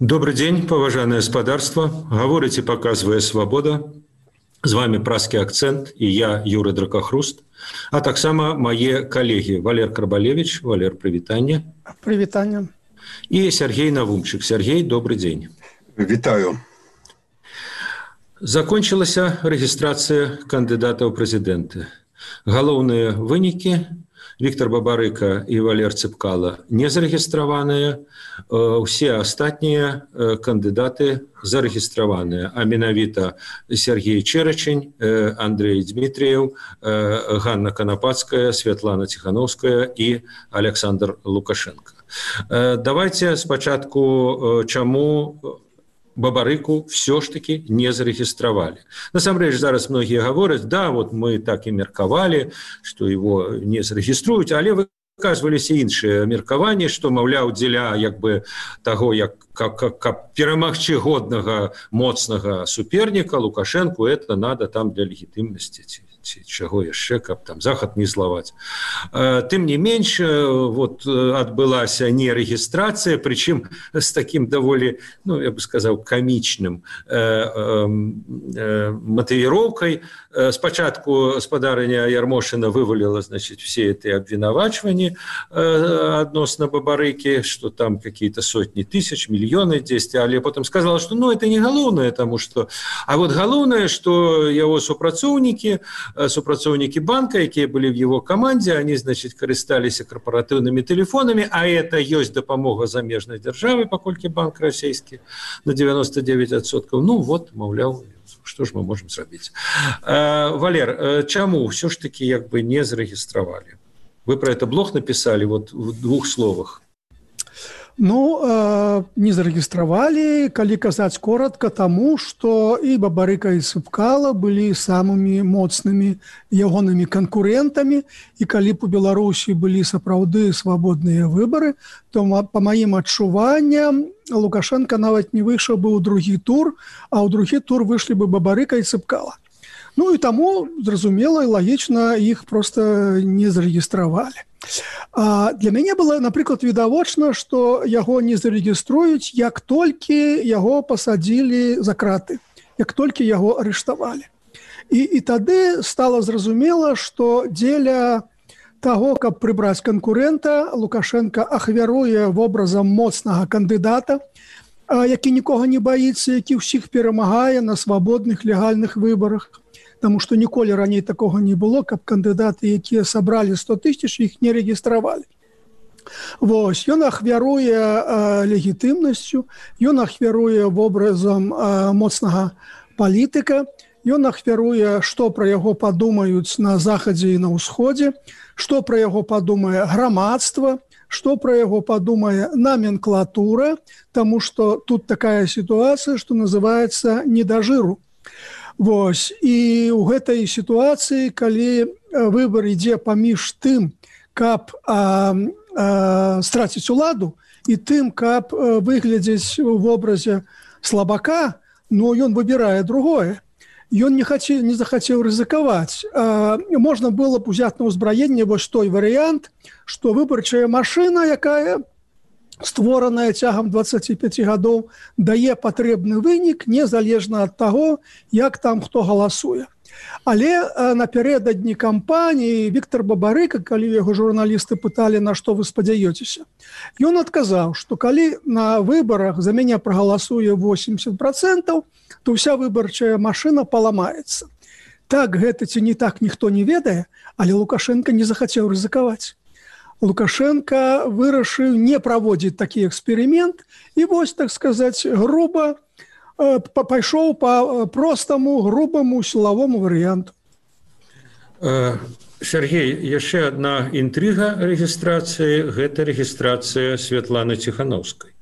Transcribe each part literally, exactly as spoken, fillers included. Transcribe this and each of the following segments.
Добрый день, поважанное господарство. Говорите, показывая свобода. С вами «Празкі акцент» и я, Юрий Дракохруст. А так само мои коллеги Валер Карбалевич. Валер, привитание. Привитание. И Сергей Навумчик. Сергей, добрый день. Витаю. Закончилась регистрация кандидатов в президенты. Головные выники: Виктор Бабарыка и Валер Цепкало не зарегистрированные, все остальные кандидаты зарегистрированные, а менавіта Сергей Черечень, Андрей Дмитриев, Ганна Конопадская, Светлана Тихановская и Александр Лукашенко. Давайте спочатку, чему Бабарыку все ж таки не зарегистрировали. На самом деле, зараз многие говорят, да, вот мы так и мерковали, что его не зарегиструют, але выказывались и іншие меркования, что, мовляв, дзеля як бы того, як, как, как, как перамагчы годного, моцного суперника Лукашенку, это надо там для легитимности. Чего еще, как там заход не зловать. Тем не меньше, вот отбылась нерегистрация, причем с таким довольно, ну, я бы сказал, комичным мотивировкой. Спочатку спадарыня Ярмошина вывалила, значит, все эти обвинувачивания относно Бабарыки, что там какие-то сотни тысяч, миллионы действия, але потом сказала, что ну, это не головное, потому что... А вот головное, что его супрацоўнікі, супрацоўнікі банка, якія были в его команде, они, значит, користались корпоративными телефонами, а это есть допомога замежной державы, покольки банк российский на девяносто девять процентов. Ну вот, мовляв, что ж мы можем сделать? Валер, чему все ж таки как бы не зарегистрировали? Вы про это блог написали вот в двух словах. Ну, э, не зарегистрировали, коли казаць коротко, тому, что и Бабарыка, и Цепкало были самыми моцными ягонымі конкурентами, и коли по Беларуси были сапраўды свободные выборы, то по моим адчуванням Лукашенко нават не вышел бы ў другі тур, а ў другі тур вышли бы Бабарыка и Цепкало. Ну и тому, зразумела и логично, их просто не зарегистрировали. А для мяне было, например, відавочна, что яго не зарегиструюць, як толькі яго посадили за краты, як толькі яго арыштавалі. И, и тады стало зразумела, что дзеля того, каб прыбраць конкурента, Лукашенко ахвяруе вобразам моцнага кандыдата, які нікога не боится, які ўсіх перамагае на свободных легальных выборах. Потому что ніколі раней такого не было, каб кандидаты, якія собрали сто тысяч, их не регистровали. Вось, ён ахвяруе э, легітымнасцю, ён ахвяруе вобразам э, моцнага палітыка, ён ахвяруе, што пра яго падумаюць на захадзе і на ўсходзе, што пра яго падумае грамадства, што пра яго падумае номенклатура, таму што тут такая сітуацыя, што называецца «не да жыру». Вось. І ў гэтай сітуацыі, калі выбар ідзе паміж тым, каб а, а, страціць уладу, і тым, каб выглядзець у вобразе слабака, ну, ён выбірае другое. Ён не, хацеў, не захацеў рызыкаваць. А, можна было б узяць на ўзбраенне вось той варыянт, што выбарчая машына, якая створаная цягам дваццаці пяці гадоў, дае патрэбны вынік незалежна ад таго, як там хто галасуе. Але напярэдадні кампаніі Віктор Бабарыка, калі яго журналісты пыталі, на што вы спадзяёцеся, ён адказаў, што калі на выбарах за мяне прагаласуе восемьдесят процентов, то ўся выбарчая машына паламаецца. Так гэта ці не так, ніхто не ведае, але Лукашенко не захацеў рызыкаваць. Лукашенко вырашыў не праводзіць такі эксперымент і вось, так сказаць, груба э, пайшоў по простаму, грубаму сілавому варыянту. Сергей, яшчэ одна інтрыга рэгістрацыі, гэта рэгістрацыя Светланы Тихановскай.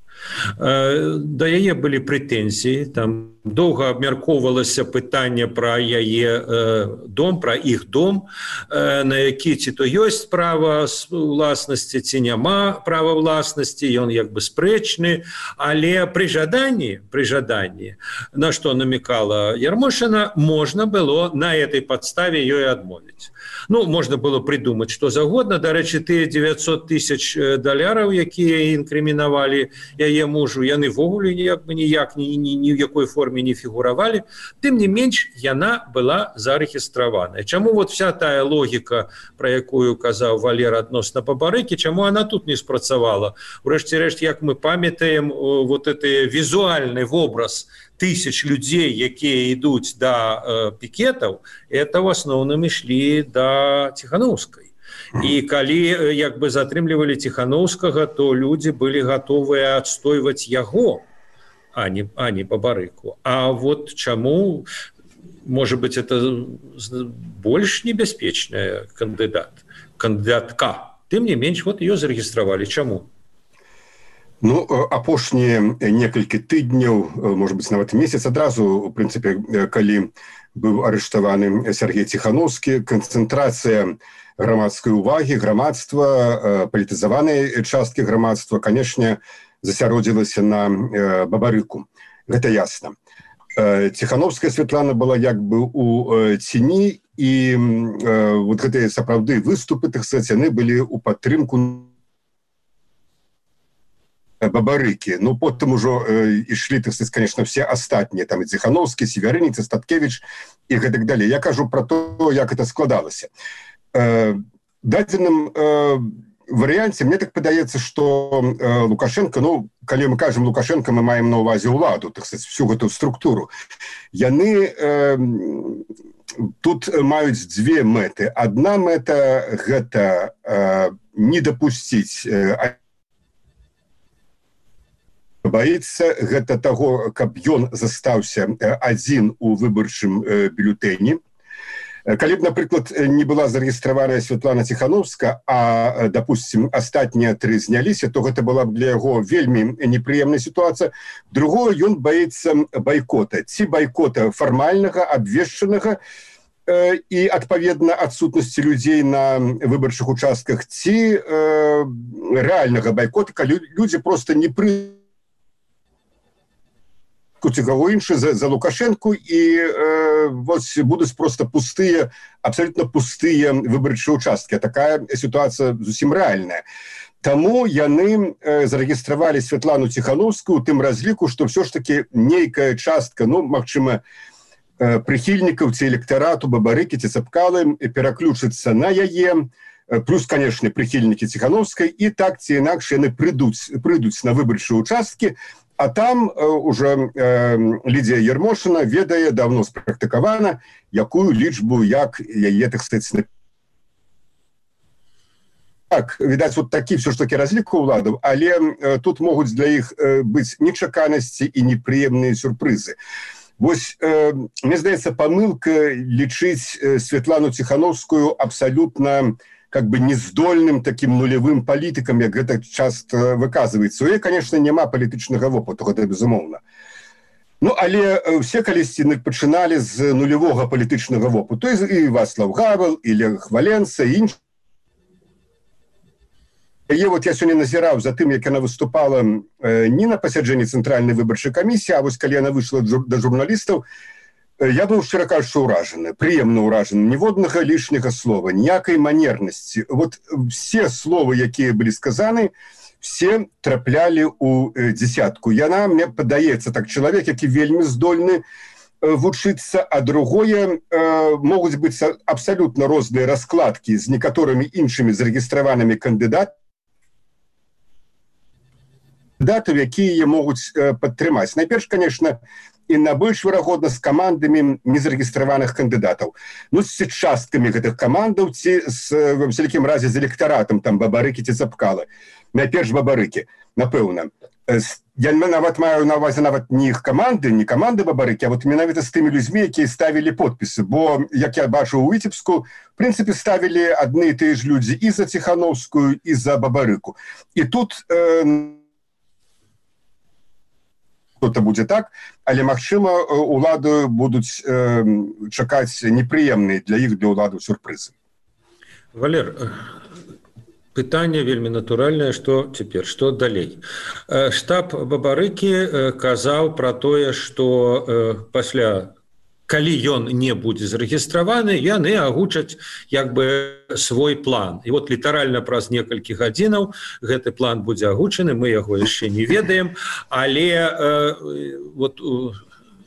Да яе былі прэтэнзіі, там доўга абмяркоўвалася пытанне пра яе э, дом, пра іх дом, э, на які ці то ёсць права ўласнасці, ці няма права ўласнасці, ён як бы спрэчны, але пры жаданні, пры жаданні, на што намекала Ярмошина, можна было на этой подставе ёй адмовіць. Ну, можна было придумаць што загодна. Дарэчы, тыя девятьсот тысяч даляраў, якія інкрымінавалі яе мужу, яны ввогуле ніяк бы ніяк ні, ні, ні ў якой форме не фігуравалі. Тым не менш, яна была зарэгістраваная. Чаму вот вся тая логіка, пра якую казаў Валер адносна Бабарыкі, чаму она тут не спрацавала? Урэшце рэшт, як мы памятаем, вот гэты візуальны вобраз тысяч людей, якія ідуць да э, пікетаў, это в асноўным ішлі да Ціхановскай. І калі як бы затрымлівалі Ціхановскага, то людзі былі гатовыя адстойваць яго, а не, а не Бабарыку. А вот чаму, может быть, это больш небяспечная кандыдат, кандыдатка. Тым не менш, вот ее зарэгістравалі. Чаму? Ну, апошнія некалькі тыдняў, может быть, нават месяц адразу, у прынцыпе, калі быў арыштаваны Сергей Ціхановскі, канцэнтрацыя грамадскай увагі, грамадства, палітызаванай часткі грамадства, канешне, засяродзілася на Бабарыку. Гэта ясна. Ціхановская Святлана была як бы у ціні, і вот гэтыя сапраўды выступы, так сказаць, яны былі ў падтрымку Бабарыкі. Ну, потым ужо э, ішлі, так сказать, конечно, все астатнія, там і Ціхановскі, Севярыніц, Статкевіч і гэтак далей. Я кажу про то, як это складалася. Э, дадзеным э, варыянце, мне так падаецца, што э, Лукашенко, ну, калі мы кажам Лукашенко, мы маем на ўвазе ўладу, так сказать, всю гэту структуру. Яны э, тут маюць дзве мэты. Адна мэта – гэта э, не дапусціць э, баіцца гэта таго, каб ён застаўся адзін у выбарчым бюлетэні. Калі б, напрыклад, не была зарэгістраваная Святлана Ціхановска, а, допустим, астатнія тры зняліся, то гэта была б для яго вельмі непрыемная сітуацыя. Другое, ён баіцца байкота. Ці байкота фармальнага, абвешчанага, і, адпаведна, адсутнасці людзей на выбарчых участках, ці э, рэальнага байкота, калі людзі проста не пры кого інше за, за Лукашенку, і э, вот будуць просто пустыя, абсолютно пустыя выбарчыя участкі. Такая ситуация зусім рэальная. Таму яны э, зарэгістравалі Святлану Ціхановскую у тым разліку, што ўсё ж таки нейкая частка, ну, магчыма, э, прыхільнікаў ці электарату Бабарыкі ці Цапкалы пераключыцца на яе, плюс, конечно, прыхільнікі Ціхановскай, і так ці інакш яны прыйдуць, прыйдуць на выбарчыя участкі. А там э, уже э, Лідія Ярмошина ведае, давно спрактыкавана, якую лічбу, як яе, так сказать, так, відаць, вот такі все ж таки разлік уладаў, але э, тут могуць для іх э, быць нечаканасці і непрыемныя сюрпрызы. Вось, э, мне здаецца, памылка лічыць э, Святлану Ціхановскую абсолютно как бы нездольным таким нулевым палітыкам, як гэта часто выказваецца. У яе, конечно, няма палітычнага вопыту, гэта безумоўна. Ну, але все калісьці пачыналі з нулевога палітычнага вопыту. І Вацлав Гавел, і Лех Валенса, і іншыя. Яе вот я сёння назіраў за тым, як яна выступала э, не на пасяджэнні Цэнтральнай выбарчай камісіі, а вось калі яна выйшла да журналістаў, я быў, шчыра кажучы, ўражаны, прыемна ўражаны. Ніводнага лішняга слова, ніякай манернасці. Вот все словы, якія былі сказаны, все траплялі ў дзесятку. Яна, мне падаецца, так, чалавек, які вельмі здольны вучыцца, а другое, э, могуць быць абсалютна розныя раскладкі з некаторымі іншымі зарэгістраванымі кандыдатамі, кандыдатаў, якія могуць э, падтрымаць. Найперш, конечно, і на больш верагодна з камандамі незарэгістраваных кандыдатаў. Ну, з часткамі гэтых камандаў, ці з, в всякім разе, з электаратам, там, Бабарыкі ці Цапкалы. Найперш Бабарыкі, напэўна. Я нават маю на ўвазе нават не іх каманды, не каманды Бабарыкі, а вот менавіта з тымі людзьмі, якія ставілі подпісы. Бо, як я бачу ў Віцебску, в прынцыпе, ставілі адны і тыя ж людзі і за Ціхановскую, і за Бабарыку. І тут... Э, что-то будет так, але, магчыма, улады будуць э, чакаць непрыемныя для іх, для уладаў сюрпрызы. Валер, пытанне вельмі натуральнае, што цяпер, што далей. Штаб Бабарыкі казаў пра тое, што пасля калі ён не будзе зарэгістраваны, яны агучаць як бы свой план. І вот літаральна праз некалькі гадзінаў гэты план будзе агучаны, мы яго яшчэ не ведаем, але э, вот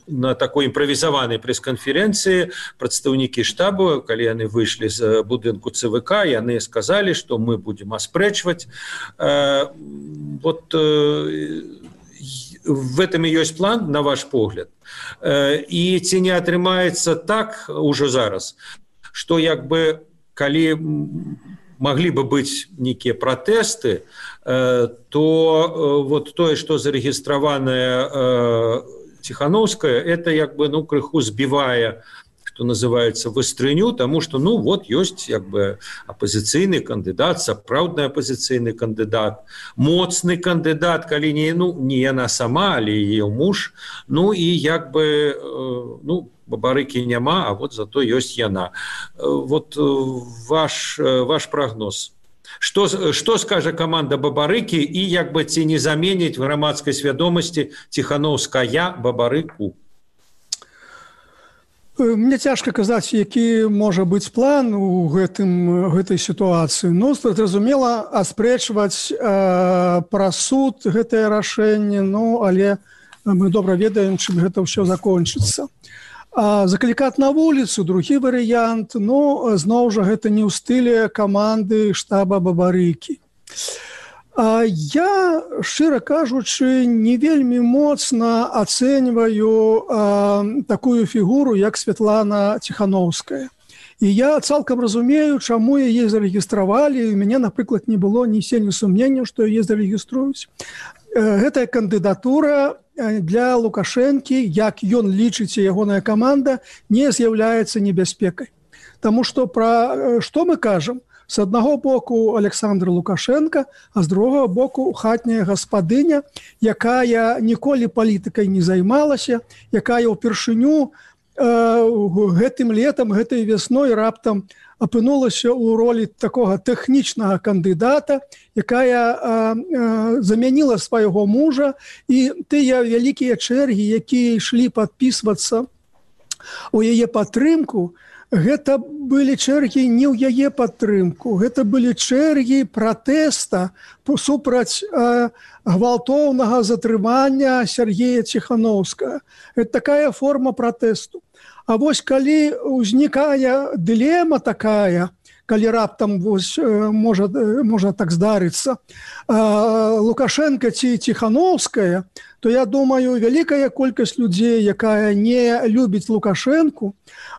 на такой імправізаванай прэс-канферэнцыі прадстаўнікі штабу, калі яны выйшлі з будынку ЦВК, яны сказалі, што мы будзем аспрэчваць. Э, вот э, в этом и есть план, на ваш погляд. И ці не атрымаецца так уже зараз, что як бы, калі могли бы быть некие протесты, то вот тое, что зарегистрованное Тихановская, это як бы, ну, крыху сбивая, что называется, выстрыню, тому что, ну, вот есть як бы оппозиционный кандидат, сапраўдны оппозиционный кандидат, моцны кандидат, калі не, ну, не яна сама, але ее муж, ну, и як бы, ну, Бабарыкі няма, а вот зато есть яна. Вот ваш, ваш прогноз. Что, что скажет команда Бабарыкі и як бы ці не заменить в громадской свядомости Тихановская Бабарыку? Мне цяжка казаць, які можа быць план у гэтым, гэтай сітуацыі. Ну, зразумела, аспрэчваць э, пра суд гэтае рашэнне, ну, але мы добра ведаем, чым гэта ўсё закончыцца. А заклікаць на вуліцу, другі варыянт, ну, зноў жа, гэта не ў стылі каманды штаба Бабарыкі. Я, шчыра кажучы, не вельмі моцна ацэньваю а, такую фігуру, як Святлана Тихановская. І я цалкам разумею, чаму яе зарэгістравалі. У мяне, напрыклад, не было ні сені сумненняў, што яе зарэгіструюць. Гэтая кандыдатура для Лукашэнкі, як ён лічыць, ягоная каманда, не з'яўляецца небяспекай. Таму што пра што мы кажам? С аднаго боку Александр Лукашенко, а з другого боку хатняя гаспадыня, якая ніколі палітыкай не займалася, якая ўпершыню э, гэтым летам, гэтай вясной раптам апынулася ў ролі такога тэхнічнага кандыдата, якая э, э, замяніла свайго мужа, і тыя вялікія чэргі, якія ішлі падпісвацца у яе падтрымку, гэта былі чэргі не ў яе падтрымку, гэта былі чэргі пратэста супраць э, гвалтоўнага затрымання Сергея Тихановскага. Это такая форма пратэсту. А вось калі ўзнікае дылема такая, калі раптам вось, э, можа, э, можа так здарыцца, э, Лукашенко ці Тихановская, то я думаю, вялікая колькасць людзей, якая не любіць Лукашенку,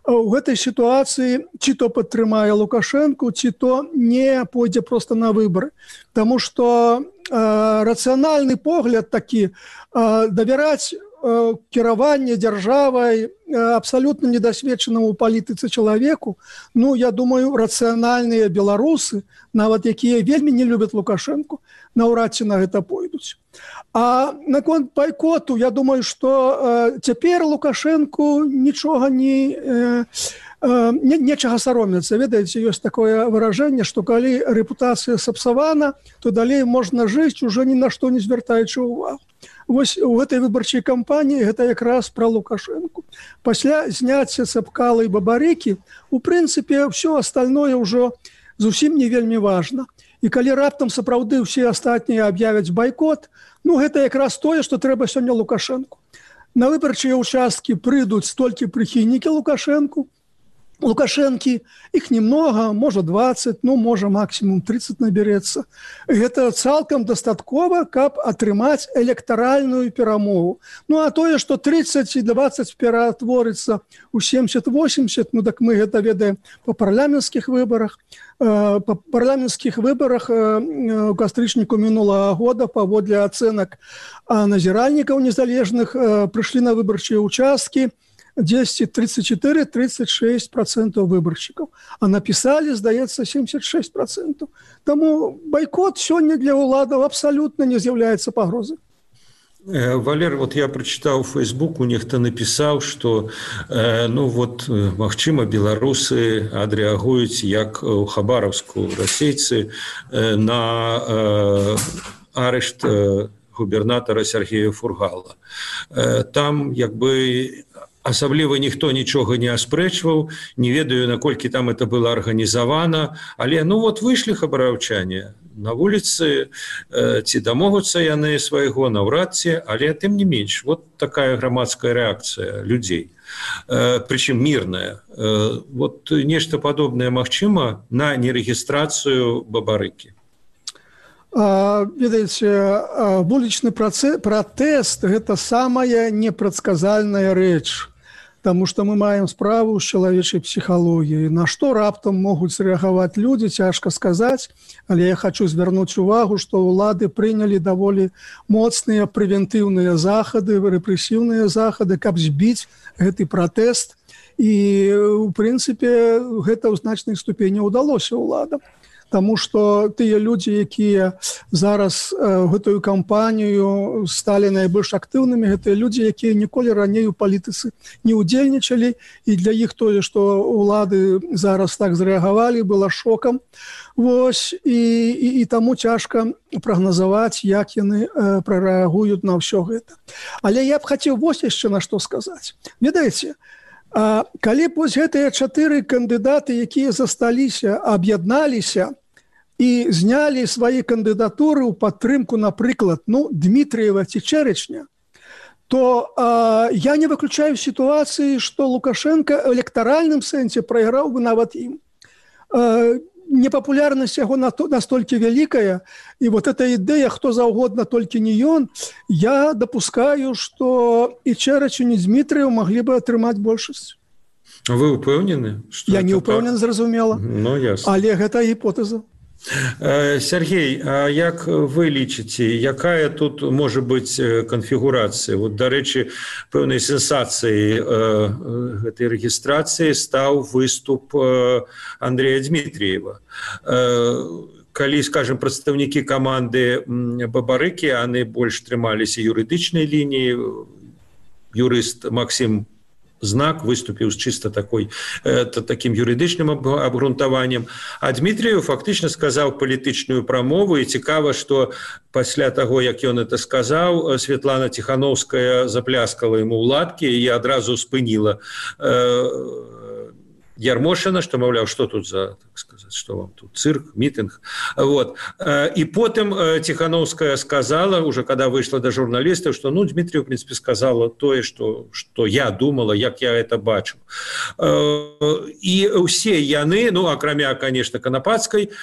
у гэтай сітуацыі ці то падтрымае Лукашенку, ці то не пойдзе проста на выбары. Таму што э, рацыянальны погляд такі, э, давяраць э, кіраванне дзяржавай э, абсалютна недасведчанаму ў палітыцы чалавеку, ну, я думаю, рацыянальныя беларусы, нават якія вельмі не любяць Лукашенку, наўрад ці на гэта пойдуць. А наконт байкоту, я думаю, што э, цяпер Лукашенку нічога не, э, э, не нечага саромецца. Ведаеце, ёсць такое выражэнне, што калі рэпутацыя сапсавана, то далей можна жыць, уже ні на што не звяртаючы ўвагу. Вось у гэтай выбарчай кампаніі гэта якраз пра Лукашенку. Пасля зняцця Цапкала і Бабарыкі, у прынцыпе, ўсё астальное ўжо зусім не вельмі важна. І калі раптам сапраўды ўсе астатнія аб'явяць байкот, ну гэта якраз тое, што трэба сёння Лукашенку. На выбарчыя ўчасткі прыйдуць толькі прыхільнікі Лукашенку. Лукашэнкі, іх немного, можа дваццаць, ну можа максімум тридцать наберэцца. Гэта цалкам дастаткова, каб атрымаць электаральную перамогу. Ну а тое, што тридцать і двадцать ператворыцца ў семьдесят-восемьдесят, ну так мы гэта ведаем па парламенцкіх выбарах. Па парламенцкіх выбарах у кастрычніку мінулага года паводле ацэнак назіральнікаў незалежных прыйшлі на выбарчыя ўчасткі десять тридцать четыре тридцать шесть процентов выборщиков, а написали, здаецца, семьдесят шесть процентов. Тому бойкот сёння для уладаў абсолютно не з'яўляецца пагрозай. Валер, вот я прочитал в Фейсбуку, нехто написал, что э, ну вот, магчыма, беларусы адрэагуюць як у Хабаровску расейцы э, на э, арышт э, губернатора Сергея Фургала. Э, там як бы асабліва ніхто нічога не аспрэчваў, не ведаю, наколькі там это было арганізавана, але ну вот выйшлі хабараўчане на вуліцы, э, ці дамогуцца яны свайго наўрад ці, але тым не менш, вот такая грамадская рэакцыя людзей, э, прычым мірная. Э, вот нешта падобнае магчыма на нерэгістрацыю Бабарыкі. Ведаеце, вулічны пратэст – гэта самая непрадказальная рэч, таму што мы маем справу з чалавечай псіхалогіяй. На што раптам могуць рэагаваць людзі, цяжка сказаць, але я хочу звярнуць увагу, што ўлады прынялі даволі моцныя прэвентыўныя захады, рэпрэсіўныя захады, каб збіць гэты пратэст. І, у прынцыпе, гэта ў значнай ступені ўдалося ўладам. Таму што тыя людзі, якія зараз э, гэтую кампанію сталі найбольш актыўнымі, гэтыя людзі, якія ніколі раней у палітыцы не ўдзельнічалі, і для іх тое, што ўлады зараз так зрэагавалі, было шокам. Вось, і, і, і таму цяжка прагназаваць, як яны э, прарэагуюць на ўсё гэта. Але я б хацеў вось яшчэ на што сказаць. Ведаеце, А калі б вось гэтыя чатыры кандыдаты, якія засталіся, аб'ядналіся і знялі свае кандыдатуры ў падтрымку, напрыклад, ну, Дмітрыева ці Чэрычня, то а, я не выключаю сітуацыі, што Лукашенко ў электаральным сэнсе прайграў бы нават ім. А, непапулярнасць яго настолькі вялікая, і вот эта ідэя, хто заўгодна, толькі не ён, я дапускаю, што і Чэрыч, і Дмітрыеў маглі бы атрымаць большасць. Вы ўпэўнены? Я не ўпэўнен, зразумела, ну, але гэта гіпотэза. Сергей, а як вы лічыце, якая тут можа быць канфігурацыя? Вот, дарэчы, пэўнай сенсацыяй гэтай рэгістрацыі стаў выступ Андрэя Дмітріева. Калі, скажем, прадстаўнікі каманды Бабарыкі, яны больш трымаліся юрыдычнай лініі, юрыст Максім Знак выступіў з чыста такой, э, таким юрыдычным абгрунтаваннем. А Дмітрыеў фактычна сказаў палітычную прамову, і цікава, што пасля таго, як ён это сказаў, Светлана Ціхановская запляскала яму ў ладкі і адразу спыніла э, Ярмошина, што, маўляў, што тут за, так сказаць, што вам тут, цырк, мітынг. Вот. І потым Ціхановская сказала, уже когда выйшла да журналістаў, што, ну, Дмітрыеў, в принципе, сказала тое, што, што я думала, як я это бачыў. І ўсе яны, ну, акрамя, конечно, Канапацкай,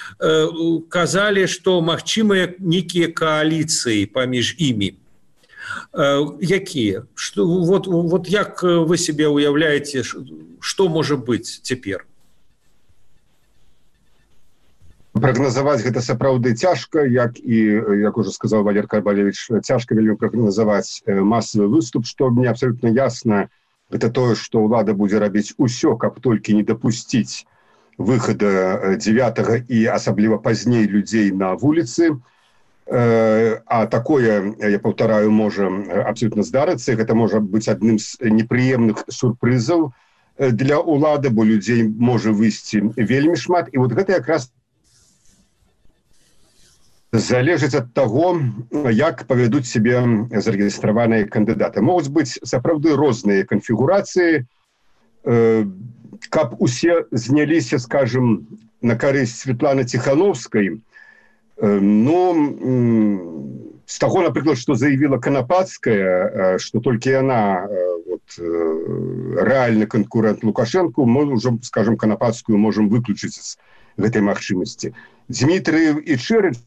казалі, што магчымыя нейкія кааліцыі паміж імі. Якія? Што, вот, вот як вы себе уяўляеце, што можа быць цяпер? Прагназаваць гэта сапраўды цяжка, як і, як ужо сказаў Валер Карбалевич, цяжка вельмі прагназаваць масавы выступ, што мне абсолютно ясна, гэта тое, што ўлада будзе рабіць усё, каб толькі не дапусціць выхада дзевятага і асабліва пазней людзей на вуліцы. А такое, я паўтараю, можа абсолютно здарыцца, гэта можа быць адным з непрыемных сюрпрызаў для ўлады, бо людзей можа выйсці вельмі шмат, і вот гэта якраз залежыць ад таго, як павядуць сябе зарэгістраваныя кандыдаты. Могуць быць сапраўды розныя канфігурацыі, каб усе зняліся, скажем, на карысць Светланы Ціхановскай. Ну, з таго, напрыклад, што заявіла Канапацкая, што толькі яна вот, рэальны канкурэнт Лукашэнку, мы ўжо, скажем, Канапацкую можам выключыць з гэтай магчымасці. Дмітрыеў і Чэрыч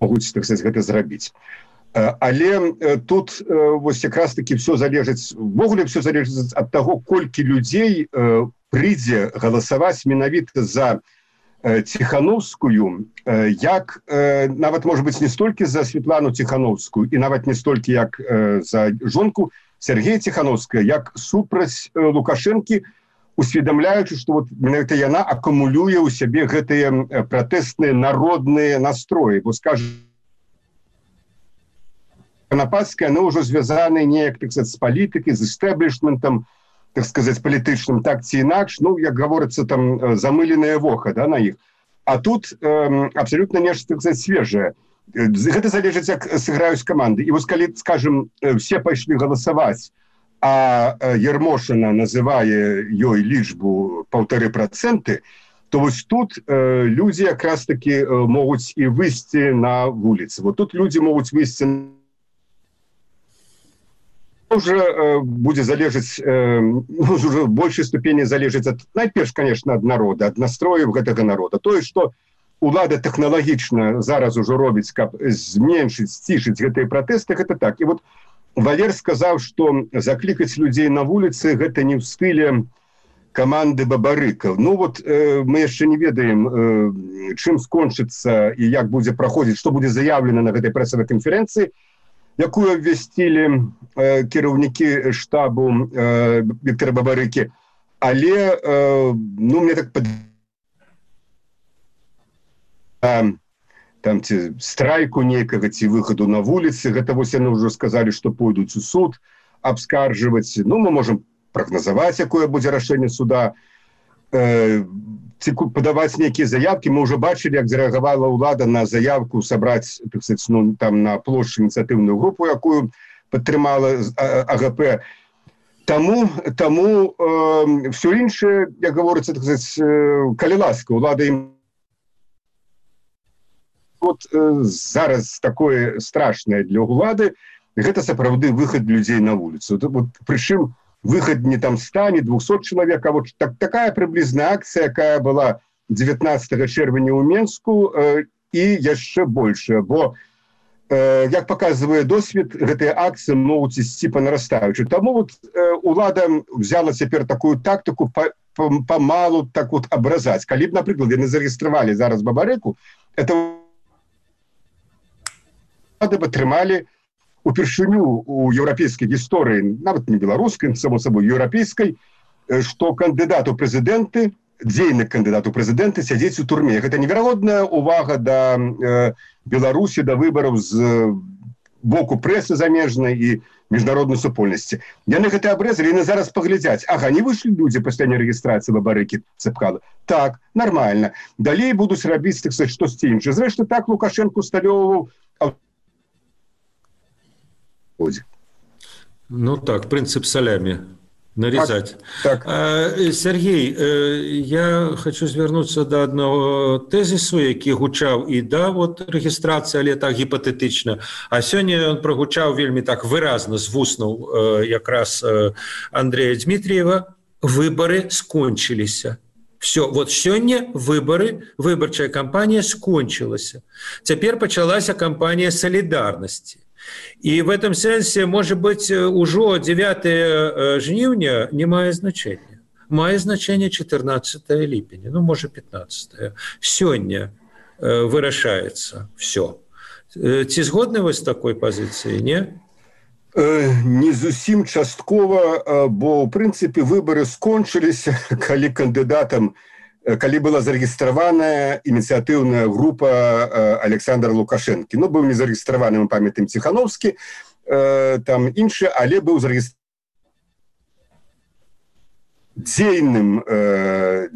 могуць, так сказаць, гэта зрабіць. Але тут вось якраз таки все залежыць, ввогуле все залежыць ад таго, колькі людзей прыйдзе галасаваць менавіта за Ціхановскую, як нават, можа быць, не столькі за Светлану Ціхановскую і нават не столькі як за жонку Сергея Ціхановская, як супраць Лукашэнкі, усведамляючы, што вот менавіта яна акумулюе ў сябе гэтыя пратэстныя народныя настроі. Бо, скажем, Канапатская, оно уже звязаны неяк, так сказать, с политикой, с истеблишментом, так сказать, політычным, так ці інакш, ну, як говорится, там, замыленное воха, да, на іх. А тут э, абсолютно нешта, так сказать, свежее. Гэта залежыць, як сыграюць каманды. І вось калі, скажем, все пайшлі галасаваць, а Ермошина называе ёй лічбу паўтары працэнты, то вось тут э, людзі якраз таки э, могуць і выйсці на вуліцы. Вот тут людзі могуць выйсці на уже э, будзе залежыць э, уже в большай ступені залежыць ад, найперш, конечно, ад народа, ад настрояў гэтага народа. Тое, што улада тэхналагічна зараз ужо робіць, каб зменшыць, сцішыць гэтыя пратэсты, гэта так. І вот Валер сказаў, што заклікаць людзей на вуліцы гэта не ў стыле каманды Бабарыкаў. Ну вот э, мы яшчэ не ведаем, э, чым скончыцца і як будзе праходзіць, што будзе заяўлена на гэтай прэсавай канферэнцыі, якую абвясцілі э, кіраўнікі штабу э, Віктора Бабарыкі. Але, э, ну, мне так пад... а, там ці страйку нейкага, ці выхаду на вуліцы, гэта вось яны ўжо сказалі, што пойдуць у суд абскаржваць. Ну, мы можам прагназаваць, якое будзе рашэнне суда, э, ці падаваць нейкія заявкі. Мы ўжо бачылі, як зарэагавала ўлада на заявку сабраць, так сказать, ну, там на плошчы ініцыятыўную групу, якую падтрымала АГП. Таму, таму э, все іншае, як гаворыцца, так сказать, э, калі ласка, ўлада ім вот э, зараз такое страшнае для ўлады, гэта сапраўды выхад людзей на вуліцу. Вот, прычым выход не там ста, не двухсот человек, а вот так, такая приблизная акция, якая была дзевятнаццатага чэрвеня ў Менску, э, і яшчэ больше, бо, э, як показывае досвед, гэтыя акции могуць ісці па нарастаючай. Таму вот э, улада взяла цяпер такую тактику памалу так вот абразаць. Калі б, напрыклад, яны зарэгістравалі зараз Бабарыку, это улады б атрымалі упершыню у еўрапейскай гісторыі, нават не беларускай, само собой, еўрапейскай, што кандыдат у прэзідэнты, дзейны кандыдат у прэзідэнты сядзець у турме. Гэта неверагодная увага да э, Беларусі, да выбараў з э, боку прэсы замежнай і міжнароднай супольнасці. Яны гэта абрэзалі, яны зараз паглядзяць. Ага, не выйшлі людзі пасля нерэгістрацыі Бабарыкі, Цэпкала. Так, нормально. Далей будуць рабіць, так сказаць, штосьці іншае. Зрэшты, так Лукашенко усталёўваў. Ну так, принцип салями. Нарезать. Так, так. А, Сергей, я хочу звярнуцца да аднаго тэзісу, які гучаў і да вот рэгістрацыі, але так гіпатэтычна. А сёння ён прагучаў вельмі так выразна з вуснаў якраз Андрея Дмитриева. Выборы скончыліся. Все, вот сёння выборы, выбарчая кампанія скончылася. Цяпер пачалася кампанія салідарнасці. И в этом сенсе, может быть, уже девятое жніўня не мае значения. Мае значение четырнадцатое ліпеня, ну, может, пятнадцатое. Сёння вырашается все. Ці згодны вы з такой пазіцыяй, не? Не зусім часткова, бо, в прынцыпе, выборы скончыліся, калі кандыдатам, калі была зарэгістраваная ініцыятыўная група Александра Лукашэнкі. Ну, быў не зарэгістраваны, мы памятаем, Ціхановскі, там іншы, але быў зарэгістраваны дзейным,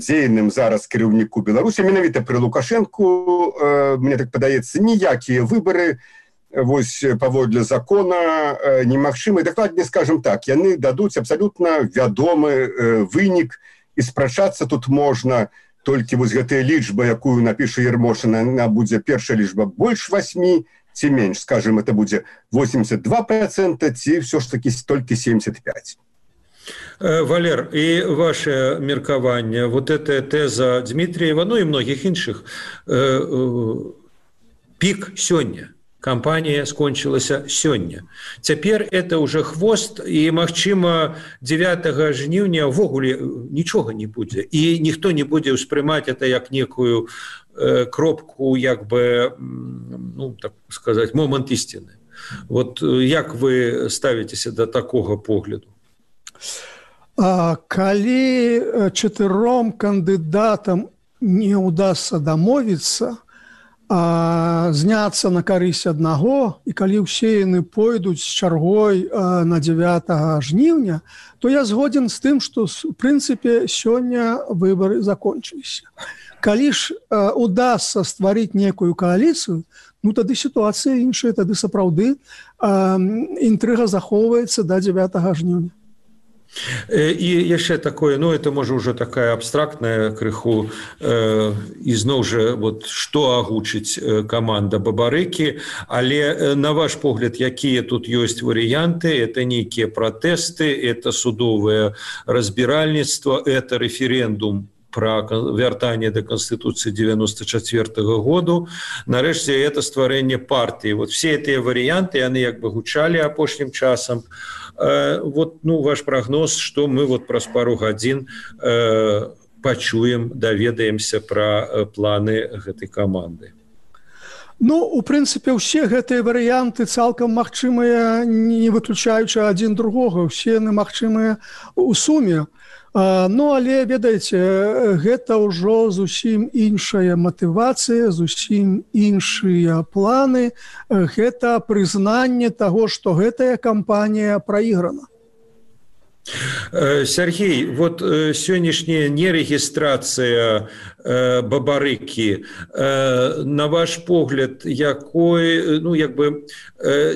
дзейным зараз кіраўніку Беларусі. Менавіта пры Лукашэнку, мне так падаецца, ніякія выборы вось паводле закона немагчымы. Дакладней, скажем так, яны дадуць абсалютна вядомы вынік, і спрачацца тут можна толькі вось гэтая лічба, якую напіша Ермошина, она будзе першая лічба больш восьмі, ці менш, скажем, это будзе восемьдесят два процента, ці все ж таки толькі семьдесят пять. Валер, и ваше меркаванне, вот эта теза Дмитриева, ну и многих іншых, пик сёння. Кампанія скончылася сёння. Цяпер это уже хвост, і, магчыма, девятого жніўня ўвогуле нічога не будзе. І ніхто не будзе ўспрымаць это як некую э, кропку, як бы, ну, так сказать, момант ісціны. Вот як вы ставіцеся да такога погляду? А, калі чатыром кандыдатам не ўдасца дамовіцца, а, зняцца на карысць аднаго, і калі ўсе яны пойдуць з чаргой а, на дзевятага жніўня, то я згоден з тым, што в прынцыпе сёння выбары закончыліся. Калі ж а, удасся стварыць некую кааліцыю, ну тады сітуацыя іншая, тады сапраўды а, інтрыга захоўваецца да дзевятага жніўня. І яшчэ такое, ну это можа ўжо такая абстрактная крыху э, ізноў жа вот што агучыць каманда Бабарыкі, але на ваш погляд, якія тут ёсць варыянты? Это нейкія пратэсты, это судовае разбіральніцтва, это рэферэндум про вяртанне да Конституцыі девяносто четвёртого году, нарэшце это стварэнне партыі. Вот все гэтыя варыянты, яны як бы гучалі апошнім часам. Э, вот, ну, ваш прогноз, што мы вот праз пару гадзін э, пачуем, даведаемся пра э, планы гэтай каманды. Ну, у прынцыпе, ўсе гэтыя варыянты цалкам магчымыя, не выключаючы адзін другога, усе яны магчымыя ў суме. Ну, але, ведаеце, гэта ўжо зусім іншая матывацыя, зусім іншыя планы. Гэта прызнанне таго, што гэтая кампанія праіграна. Сергей, вот сённяшняя нерегистрация Бабарыкі, на ваш погляд, якой, ну, як бы,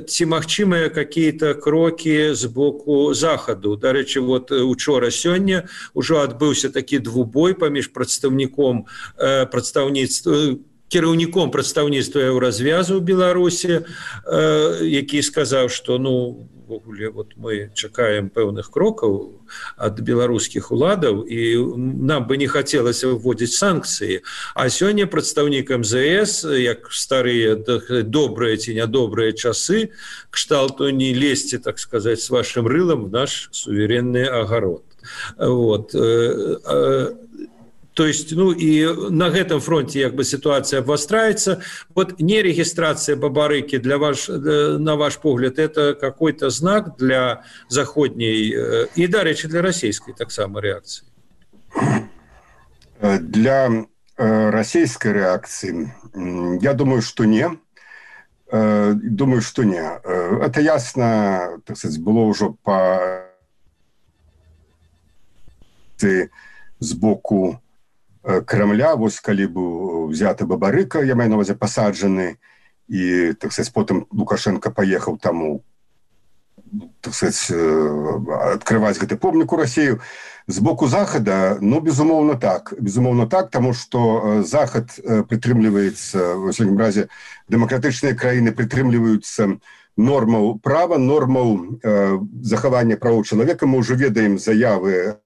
ці магчымыя какие-то кроки з боку Захаду? Дарэчы, вот учора сёння ўжо адбыўся такі двубой паміж прадстаўніком прадстаўніцтва кіраўніком прадстаўніцтва Еўразвязу ў Беларусі, які сказаў, што ну ввогуле вот мы чакаем пэўных крокаў ад беларускіх уладаў і нам бы не хацелася вводзіць санкцыі. А сёння прадстаўнік эм зэ эс, як старыя добрыя ці нядобрыя часы, кшталту не лезьце, так сказаць, с вашим рылам в наш суверенны агарод. Вот. То есть, ну, и на этом фронте как бы ситуация обостряется. Вот нерегистрация Бабарыки для ваш, на ваш погляд, это какой-то знак для заходней и, да, речи для российской так само реакции? Для российской реакции, я думаю, что не. Думаю, что не. Это ясно, так сказать, было уже по сбоку Кремля, вось калі быў взяты Бабарыка, я маю на ўвазе пасаджаны, і, так сказать, потым Лукашенко паехаў таму, так сказать, адкрываць гэты помнік у Расію. З боку Захада, ну, безумоўна так. Безумоўна так, таму што Захад прытрымліваецца, в усякім разе, дэмакратычныя краіны прытрымліваюцца нормаў права, нормаў э, захавання правоў чалавека. Мы ўжо ведаем заявы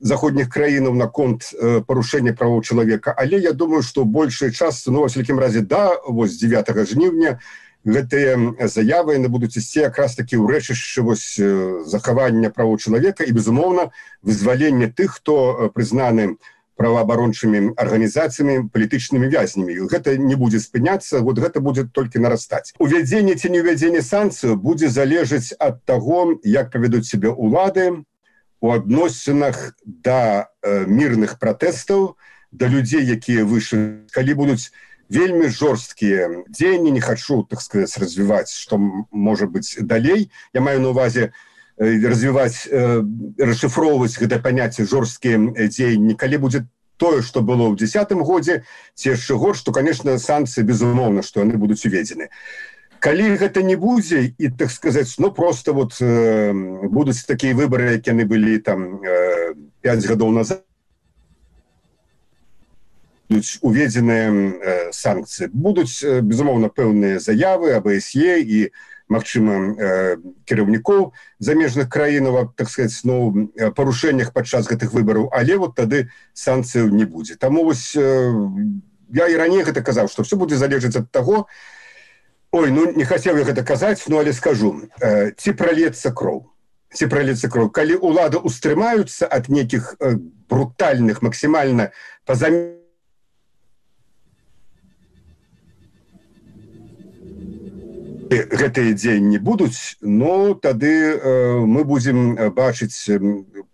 заходніх краінаў наконт парушэння правоў чалавека, але я думаю, што большая частка, ну, во всякім разе, да, вось дзевятага жніўня гэтыя заявы яны будуць ісці якраз такі ў рэчышчы вось захавання правоў чалавека і, безумоўна, вызвалення тых, хто прызнаны праваабарончымі арганізацыямі, палітычнымі вязнямі. Гэта не будзе спыняцца, вот гэта будзе толькі нарастаць. Увядзенне ці не ўвядзенне санкцыяў будзе залежаць ад таго, як павядуць сябе ўлады у адносінах да э, мірных пратэстаў, да людзей, якія выйшлі. Калі будуць вельмі жорсткія дзеянні, не хачу, так сказаць, развіваць, што можа быць далей. Я маю на ўвазе э, развіваць, э, расшыфроўваць гэта паняцце жорсткія дзеянні. Калі будзе тое, што было ў дзесятым годзе, ці яшчэ горш, то, конечно, санкцыі, безумоўна, што яны будуць уведзены. Калі гэта не будзе, і, так сказаць, ну, просто вот э, будуць такія выбары, як яны былі там э, пяць гадоў назад, будуць уведзеныя э, санкцыі. Будуць, э, безумоўна, пэўныя заявы аб а эс е і, магчыма, э, кіраўнікоў замежных краінаў, так сказаць, ну, парушэннях падчас гэтых выбараў, але вот тады санкцыяў не будзе. Таму вось э, я і раней гэта казаў, што все будзе залежаць ад таго. Ой, ну, не хацеў я гэта казаць, ну, але скажу, э, ці пролецца кроў, ці пролецца кроў. Калі ўлады устрымаюцца ад нейкіх э, брутальных, максімальна пазамерных гэтыя дзеянні будуць, ну, тады э, мы будзем бачыць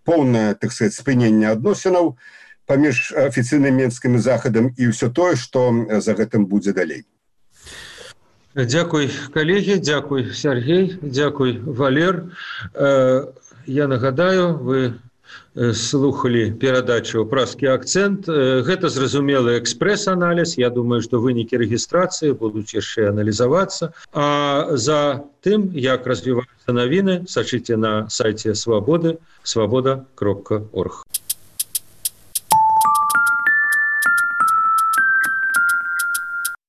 поўнае, так сказаць, спыненне адносінаў паміж афіцыйным менскім захадам і ўсё тое, што за гэтым будзе далей. Дзякуй, калегі, дзякуй, Сергей, дзякуй, Валер. Я нагадаю, вы слухали перадачу «Празкі акцэнт». Гэта зразумелы экспрэс-аналіз. Я думаю, што вынікі рэгістрацыі будуць яшчэ аналізавацца. А за тым, як развіваюцца навіны, сачыце на сайце Свабоды, свабода кропка орг.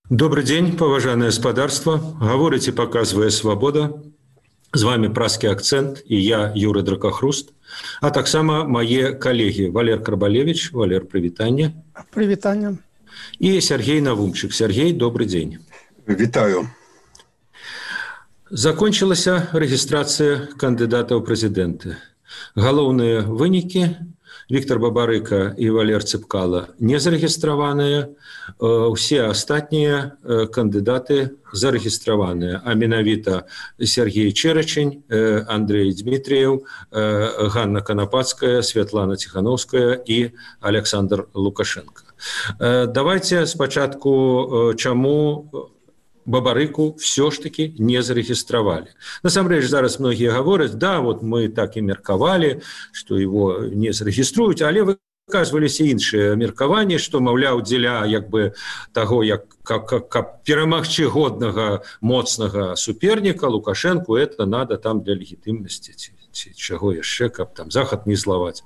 Добрый день, паважанае спадарства. Гаворыць і паказвае Свабода. З вами «Празкі акцэнт» і я, Юры Дракахруст. А таксама мае калегі Валер Карбалевич. Валер, прывітанне. Прывітанне. І Сергей Навумчык. Сергей, добрый день. Вітаю. Закончылася рэгістрацыя кандыдатаў прэзідэнты. Галоўныя вынікі: Віктор Бабарыка і Валер Цыпкала не зарэгістраваныя, усе астатнія кандыдаты зарэгістраваныя, а менавіта Сергей Чэрачань, Андрей Дмітрыеў, Ганна Канапацкая, Святлана Ціхановская і Александр Лукашенко. Давайте спачатку, чаму Бабарыку все ж таки не зарегистрировали. Насамрэч, зараз многие говорят, да, вот мы так и меркавали, что его не зарегиструют, але выказывались и іншыя меркаванні, что, маўляў, дзеля як бы того, як как, как, как перамагчы годнага моцнага суперніка Лукашенку, это надо там для легітымнасці, ці, ці чаго яшчэ, каб там захад не злаваць.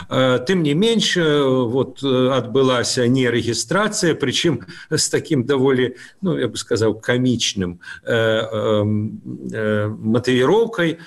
Тым не менш, вот адбылася не рэгістрацыя, прычым з таким даволі, ну, я бы сказаў, камічным э, э, э, матывіроўкай.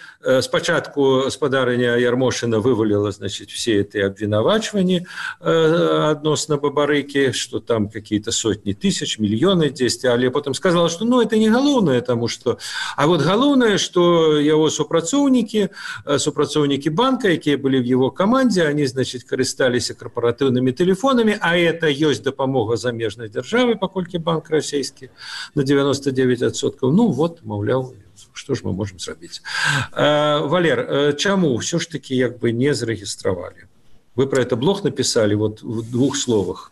Спачатку спадарыня Ярмошына вывалила, значит, все эти обвинавачванні э, адносна Бабарыкі, что там какие-то сотни тысяч, миллионы здесь, але потом сказала, что ну, это не галоўнае, потому что... А вот галоўнае, что его супрацоўнікі, супрацоўнікі банка, якія были в его команде, они, значит, карысталіся корпоративными телефонами, а это есть допомога замежной державы, паколькі банк российский на девяносто девять процентов. Ну вот, маўляў, что ж мы можем зрабіць. Валер, чаму все ж таки як бы не зарегистрировали? Вы про это блог написали вот в двух словах.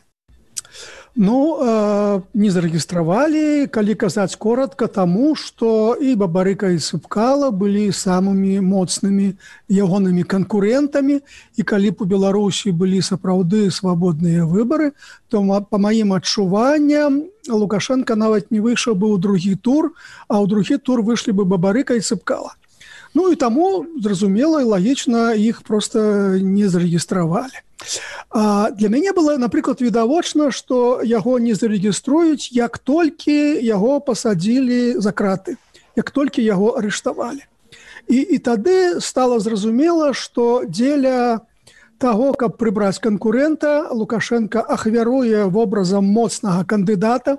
Ну, э, не зарэгістравалі, калі казаць коротко, таму, што і Бабарыка, і Цыпкала былі самымі моцнымі ягонымі канкурэнтамі, і калі б у Беларусі былі сапраўды свабодныя выбары, то, па маім адчуванням, Лукашенко нават не выйшаў бы ў другі тур, а ў другі тур выйшлі бы Бабарыка і Цыпкала. Ну і таму, зразумела і лагічна, іх проста не зарэгістравалі. А для мяне было, напрыклад, відавочна, што яго не зарэгіструюць, як толькі яго пасадзілі за краты, як толькі яго арыштавалі. І, і тады стала зразумела, што дзеля таго, каб прыбраць канкурэнта, Лукашенко ахвяруе вобразам моцнага кандыдата,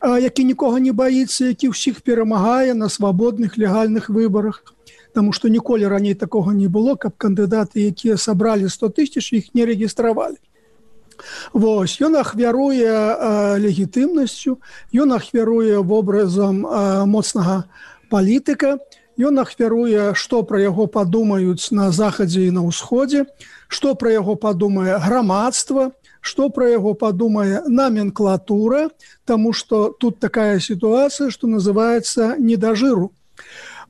які нікога не баіцца, які ўсіх перамагае на свабодных легальных выбарах. Таму што ніколі раней такога не было, каб кандыдаты, якія сабралі сто тысяч, іх не рэгістравалі. Вось, ён ахвяруе э, легітымнасцю, ён ахвяруе вобразам э, моцнага палітыка, ён ахвяруе, што пра яго падумаюць на захадзе і на ўсходзе, што пра яго падумае грамадства, што пра яго падумае номенклатура, таму што тут такая сітуацыя, што называецца «не да жыру».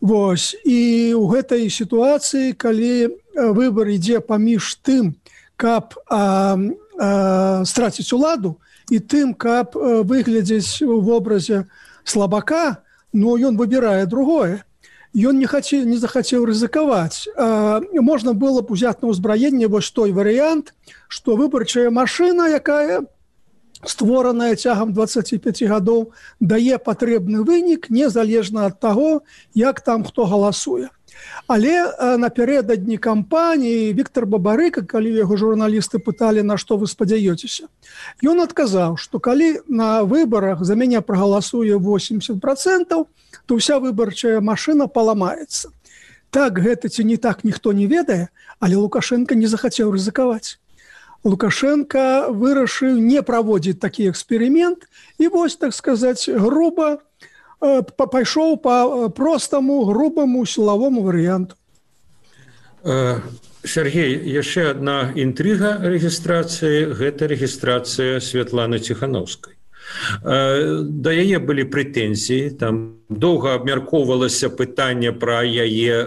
Вось, і ў гэтай сітуацыі, калі выбар ідзе паміж тым, каб а, а, страціць уладу, і тым, каб выглядзець у вобразе слабака, ну, ён выбірае другое. Ён не, хацеў, не захацеў рызыкаваць. А, можна было б узяць на ўзбраенне вось той варыянт, што выбарчая машына, якая створаная цягам дваццаці пяці гадоў, дае патрэбны вынік незалежна ад таго, як там хто галасуе. Але напярэдадні кампаніі Віктор Бабарыка, калі яго журналісты пыталі, на што вы спадзяёцеся, ён адказаў, што калі на выбарах за мяне прагаласуе восемьдесят процентов, то ўся выбарчая машына паламаецца. Так гэта ці не так, ніхто не ведае, але Лукашенко не захацеў рызыкаваць. Лукашенко вырашыў не праводзіць такі эксперымент і вось, так сказаць, груба пайшоў па простаму, грубаму сілавому варыянту. Сергей, яшчэ одна інтрыга рэгістрацыі, гэта рэгістрацыя Святланы Ціханаўскай. Да яе былі прэтэнзіі, там доўга абмяркоўвалася пытанне пра яе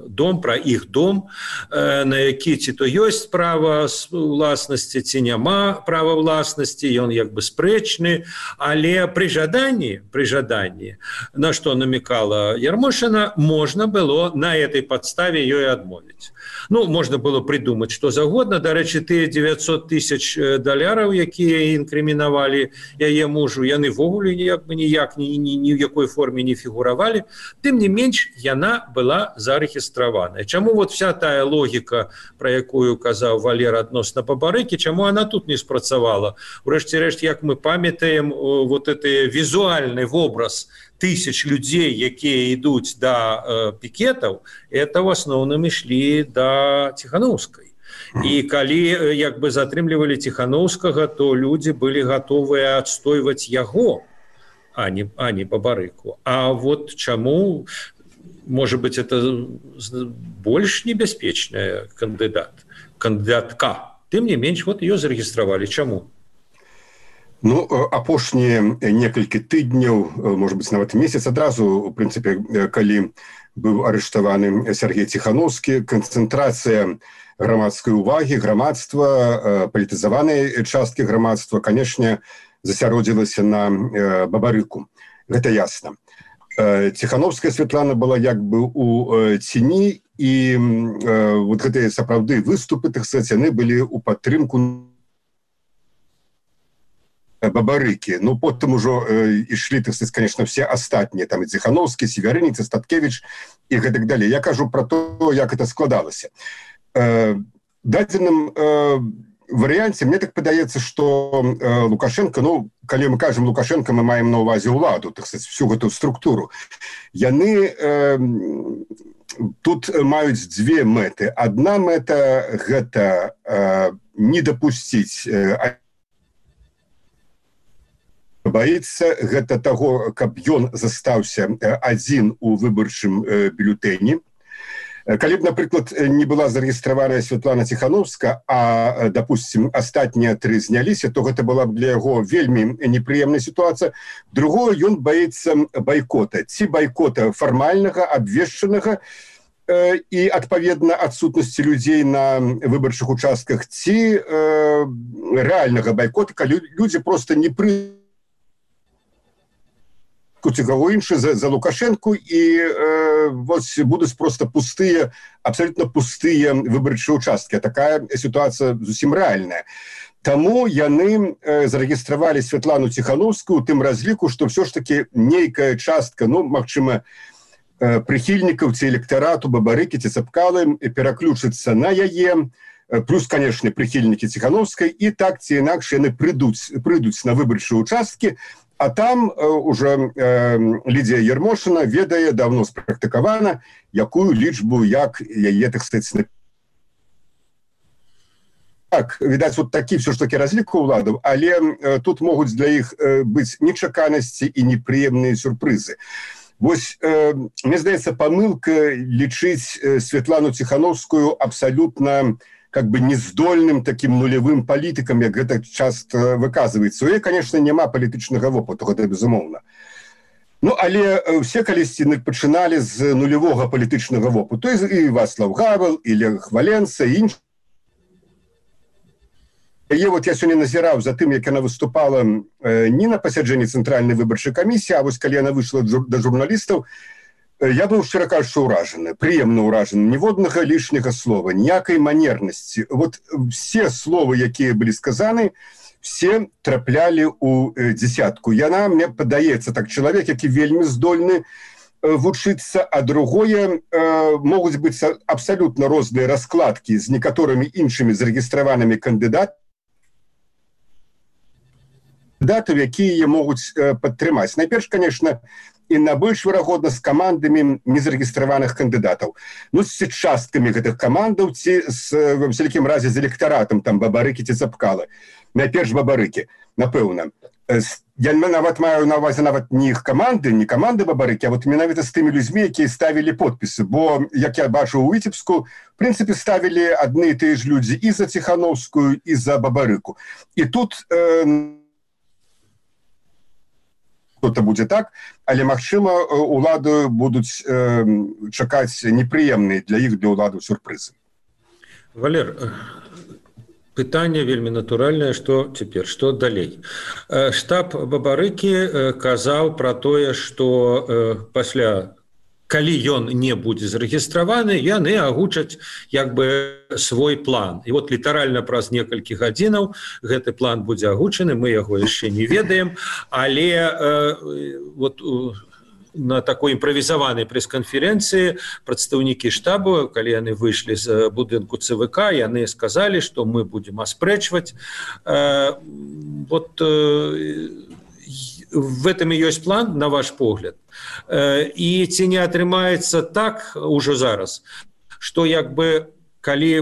дом, пра іх дом, на які ці то ёсць права ўласнасці, ці няма права ўласнасці, ён як бы спрэчны, але пры жаданні, пры жаданні, на што намекала Ярмошина, можна было на этой падставе ёй адмовіць. Ну, можна было придумаць што загодна. Дарэчы, тыя девятьсот тысяч даляраў, якія інкрымінавалі яе мужу, яны ввогуле ніяк бы ніяк ні, ні, ні ў якой форме не фігуравалі. Тым не менш, яна была зарэгістраваная. Чаму вот вся тая логіка, пра якую казаў Валер адносна Бабарыкі, чаму она тут не спрацавала? Урэшце рэшт, як мы памятаем, вот гэты візуальны вобраз тысяч людей, якія ідуць да э, пікетаў, это в асноўным ішлі да Ціханаўскай. І калі як бы затрымлівалі Ціханаўскага, то людзі былі гатовыя адстойваць яго, а не, а не Бабарыку. А вот чаму, может быть, это больш небяспечная кандыдат, кандыдатка. Тым не менш, вот ее зарэгістравалі. Чаму? Ну, апошнія некалькі тыдняў, может быть, нават месяц адразу, у прынцыпе, калі быў арыштаваны Сергей Ціханаўскі, канцэнтрацыя грамадскай увагі, грамадства, палітызаванай часткі грамадства, канешне, засяродзілася на Бабарыку. Гэта ясна. Ціханаўская Святлана была як бы у ціні, і вот гэтыя сапраўды выступы, так сказаць, яны былі ў падтрымку Бабарыкі. Ну, потым ужо э, ішлі, так сказать, конечно, все астатнія, там і Ціханаўскі, Северыніц, Статкевіч і гэтак далей. Я кажу про то, як это складалася. Э, дадзеным э, варыянце, мне так падаецца, што э, Лукашенко, ну, калі мы кажам Лукашенко, мы маем на ўвазе ўладу, так сказать, всю гэту структуру. Яны э, тут маюць дзве мэты. Адна мэта – гэта э, не дапусціць э, баіцца гэта таго, каб ён застаўся адзін у выбарчым бюлетэні. Калі б, напрыклад, не была зарэгістраваная Святлана Ціханаўская, а, допустим, астатнія тры зняліся, то гэта была б для яго вельмі непрыемная сітуацыя. Другое, ён баіцца байкота. Ці байкота фармальнага, абвешчанага, і, адпаведна, адсутнасці людзей на выбарчых участках, ці э, рэальнага байкота, калі людзі проста не пры кого інше за, за Лукашенку, і э, вот будуць просто пустыя, абсолютно пустыя выбарчыя участкі. Такая ситуация зусім рэальная. Таму яны э, зарэгістравалі Святлану Ціханаўскую у тым разліку, што все ж таки нейкая частка, ну, магчыма, э, прыхільнікаў ці электарату Бабарыкі ці Цапкалы пераключыцца на яе, плюс, конечно, прыхільнікі Ціханаўскай, і так ці інакш яны прыйдуць, прыйдуць на выбарчыя участкі. А там э, уже э, Лідія Ярмошина ведае, давно спрактыкавана, якую лічбу, як яе, так сказать, так, відаць, вот такі все ж таки разлік у ўладаў, але э, тут могуць для іх э, быць нечаканасці і непрыемныя сюрпрызы. Вось, э, мне здаецца, памылка лічыць э, Святлану Ціханаўскую абсалютна как бы нездольным таким нулевым палітыкам, як гэта часто выказваецца. У яе, конечно, няма палітычнага вопыту, гэта безумоўна. Ну, але все калісьці пачыналі з нулевога палітычнага вопыту. І Вацлав Гавел, і Лех Валенса, і іншыя. Яе вот я сёння назіраў за тым, як яна выступала э, не на пасяджэнні Цэнтральнай выбарчай камісіі, а вось калі яна выйшла да журналістаў, я быў, шчыра кажучы, уражаны, прыемна уражаны. Ніводнага лішняга слова, ніякай манернасці. Вот все словы, якія былі сказаны, все траплялі ў дзесятку. Яна, мне падаецца, так, чалавек, які вельмі здольны вучыцца, а другое, э, могуць быць абсалютна розныя раскладкі з некаторымі іншымі зарэгістраванымі кандыдатамі, кандыдатаў, якія могуць э, падтрымаць. Найперш, конечно, і на больш верагодна з камандамі незарэгістраваных кандыдатаў. Ну, з часткамі гэтых камандаў, ці з, в вялікім разе з электаратам, там, Бабарыкі ці Цапкалы. Найперш Бабарыкі, напэўна. З я нават маю на ўвазе нават не іх каманды, не каманды Бабарыкі, а вот менавіта з тымі людзьмі, якія ставілі подпісы, бо як я бачу у Віцебску, в прынцыпе ставілі адны і тыя ж людзі і за Ціхановскую, і за Бабарыку. І тут э, то будзе так, але магчыма уладу будуць э, чакаць непрыемныя для іх, для ўладу сюрпрызы. Валер, пытанне вельмі натуральнае, што цяпер, што далей. Штаб Бабарыкі казаў пра тое, што пасля, калі ён не будзе зарэгістраваны, яны агучаць як бы свой план. І вот літаральна праз некалькі гадзінаў гэты план будзе агучаны, мы яго яшчэ не ведаем, але э, вот на такой імправізаванай прэс-канферэнцыі прадстаўнікі штабу, калі яны выйшлі з будынку ЦВК, яны сказалі, што мы будзем аспрэчваць. Э, вот э, в этом і ёсць план, на ваш погляд. Э, і ці не атрымаецца так ужо зараз, што як бы калі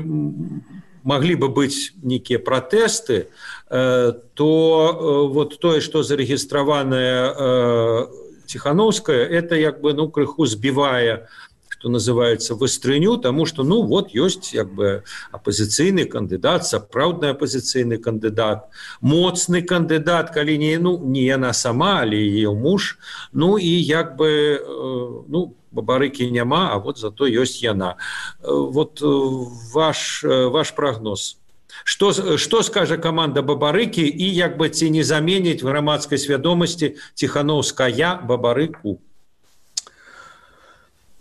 маглі бы быць нейкія пратэсты, э, то э, вот тое, што зарэгістраванае э, Ціхановская, это як бы, ну, крыху збівае, што называецца, выстрыню, таму што, ну, вот ёсць як бы апазіцыйны кандыдат, сапраўдны апазіцыйны кандыдат, моцны кандыдат, калі не, ну, не яна сама, але яе муж, ну, і як бы, ну, Бабарыкі няма, а вот зато ёсць яна. Вот ваш, ваш прагноз. Што, што скажа каманда Бабарыкі і як бы ці не заменіць в грамадскай свядомасці Ціхановская Бабарыку?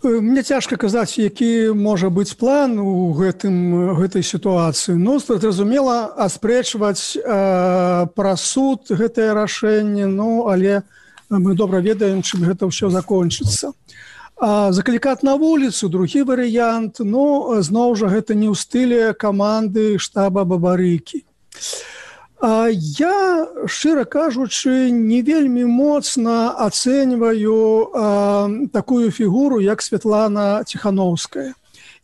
Мне цяжка казаць, які можа быць план у гэтым, гэтай сітуацыі. Ну, зразумела, аспрэчваць э, пра суд гэтае рашэнне, ну, але мы добра ведаем, чым гэта ўсё закончыцца. А заклікаць на вуліцу, другі варыянт, ну, зноў жа, гэта не ў стылі каманды штаба Бабарыкі. А я, шчыра кажучы, не вельмі моцна ацэньваю а, такую фігуру, як Святлана Ціхановская.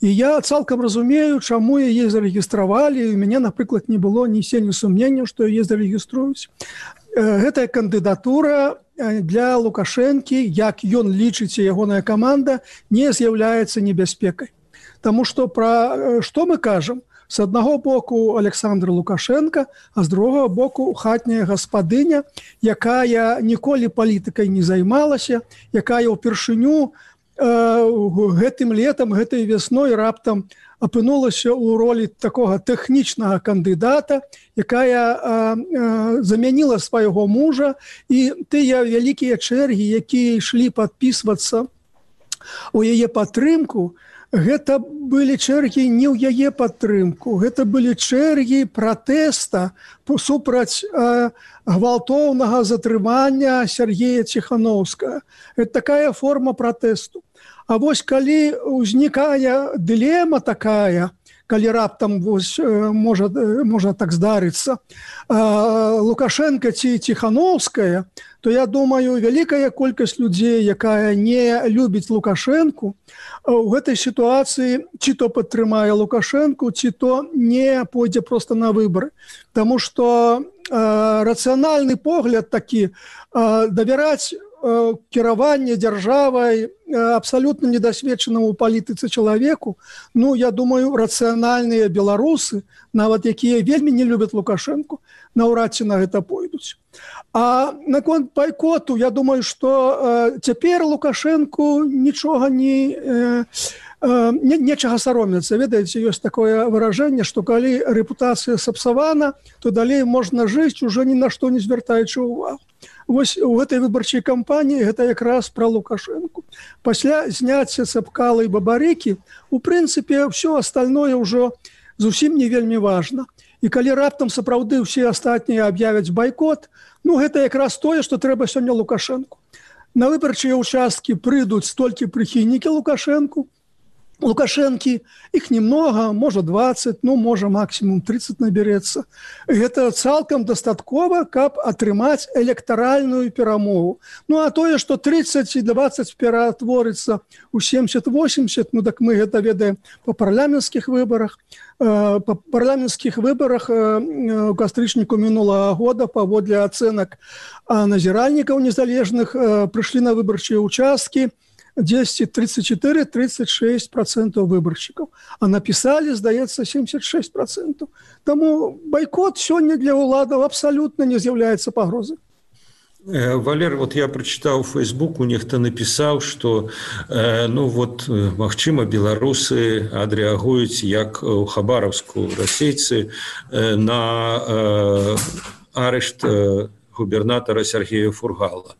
І я цалкам разумею, чаму яе зарэгістравалі, і у мяне, напрыклад, не было ні сені сумнення, што яе зарэгіструюць. Гэтая кандыдатура для Лукашэнкі, як ён лічыць, ягоная каманда, не з'яўляецца небяспекай. Таму што пра што мы кажам? З аднаго боку Александр Лукашенко, а з другога боку хатняя гаспадыня, якая ніколі палітыкай не займалася, якая ўпершыню э, гэтым летам, гэтай вясной раптам апынулася ў ролі такога тэхнічнага кандыдата, якая а, а, замяніла свайго мужа, і тыя вялікія чэргі, якія ішлі падпісвацца у яе падтрымку, гэта былі чэргі не ў яе падтрымку, гэта былі чэргі пратэста супраць а, гвалтоўнага затрымання Сергея Ціхановскага. Гэта такая форма пратэсту. А вось калі ўзнікае дылема такая, калі раптам вось, можа, можа так здарыцца, Лукашенко ці Ціхановская, то я думаю, вялікая колькасць людзей, якая не любіць Лукашенку, у гэтай сітуацыі ці то падтрымае Лукашенку, ці то не пойдзе проста на выбары. Таму што рацыянальны погляд такі, давяраць кіраванне дзяржавай абсалютна недасведчанаму ў палітыцы чалавеку, ну, я думаю, рацыянальныя беларусы, нават якія вельмі не любяць Лукашенку, наўрад ці на гэта пойдуць. А наконт байкоту, я думаю, што э, цяпер Лукашенку нічога не... Э, Не, нечага саромецца. Ведаеце, ёсць такое выражэнне, што калі рэпутацыя сапсавана, то далей можна жыць, ужо ні на што не звяртаючы ўвагу. Вось у гэтай выбарчай кампаніі гэта якраз пра Лукашенку. Пасля зняцця Цэпкала і Бабарыкі, у прынцыпе, ўсё астальное ўжо зусім не вельмі важна. І калі раптам сапраўды ўсе астатнія аб'явяць байкот, ну гэта якраз тое, што трэба сёння Лукашенку. На выбарчыя ўчасткі прыйдуць столькі прыхільнікі Лукашенку, Лукашенко, их немного, может двадцать, ну, может максимум тридцать наберется. Это цалком достатково, как отрымать электоральную перемогу. Ну, а то, что тридцать и двадцать перетворится у семьдесят-восемьдесят, ну, так мы это ведаем по парламентских выборах. По парламентских выборах у кастрычніку мінулага года паводле ацэнак назіральнікаў незалежных прыйшлі на выбарчыя участкі десять тридцать четыре тридцать шесть процентов выборщиков, а написали, здаецца, семьдесят шесть процентов. Тому бойкот сёння для уладов абсолютно не з'яўляецца пагрозай. Валер, вот я прочитал в Facebook, у нехто написал, что э, ну вот, магчыма, беларусы адрэагуюць як у Хабаровску расейцы э, на э, арышт э, губернатора Сергея Фургала.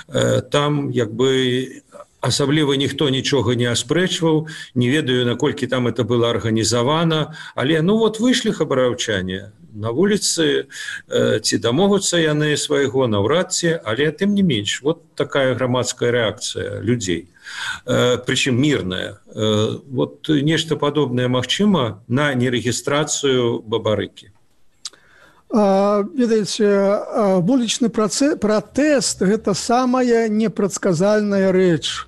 Э, там, як бы, асабліва ніхто нічога не аспрэчваў, не ведаю, наколькі там это было арганізавана, але ну вот выйшлі хабараўчане на вуліцы, э, ці дамогуцца яны свайго наўрад ці, але тым не менш, вот такая грамадская рэакцыя людзей, э, прычым мірная. Э, вот нешта падобнае магчыма на нерэгістрацыю Бабарыкі. А, ведаеце, вулічны пратэст – гэта самая непрадказальная рэч,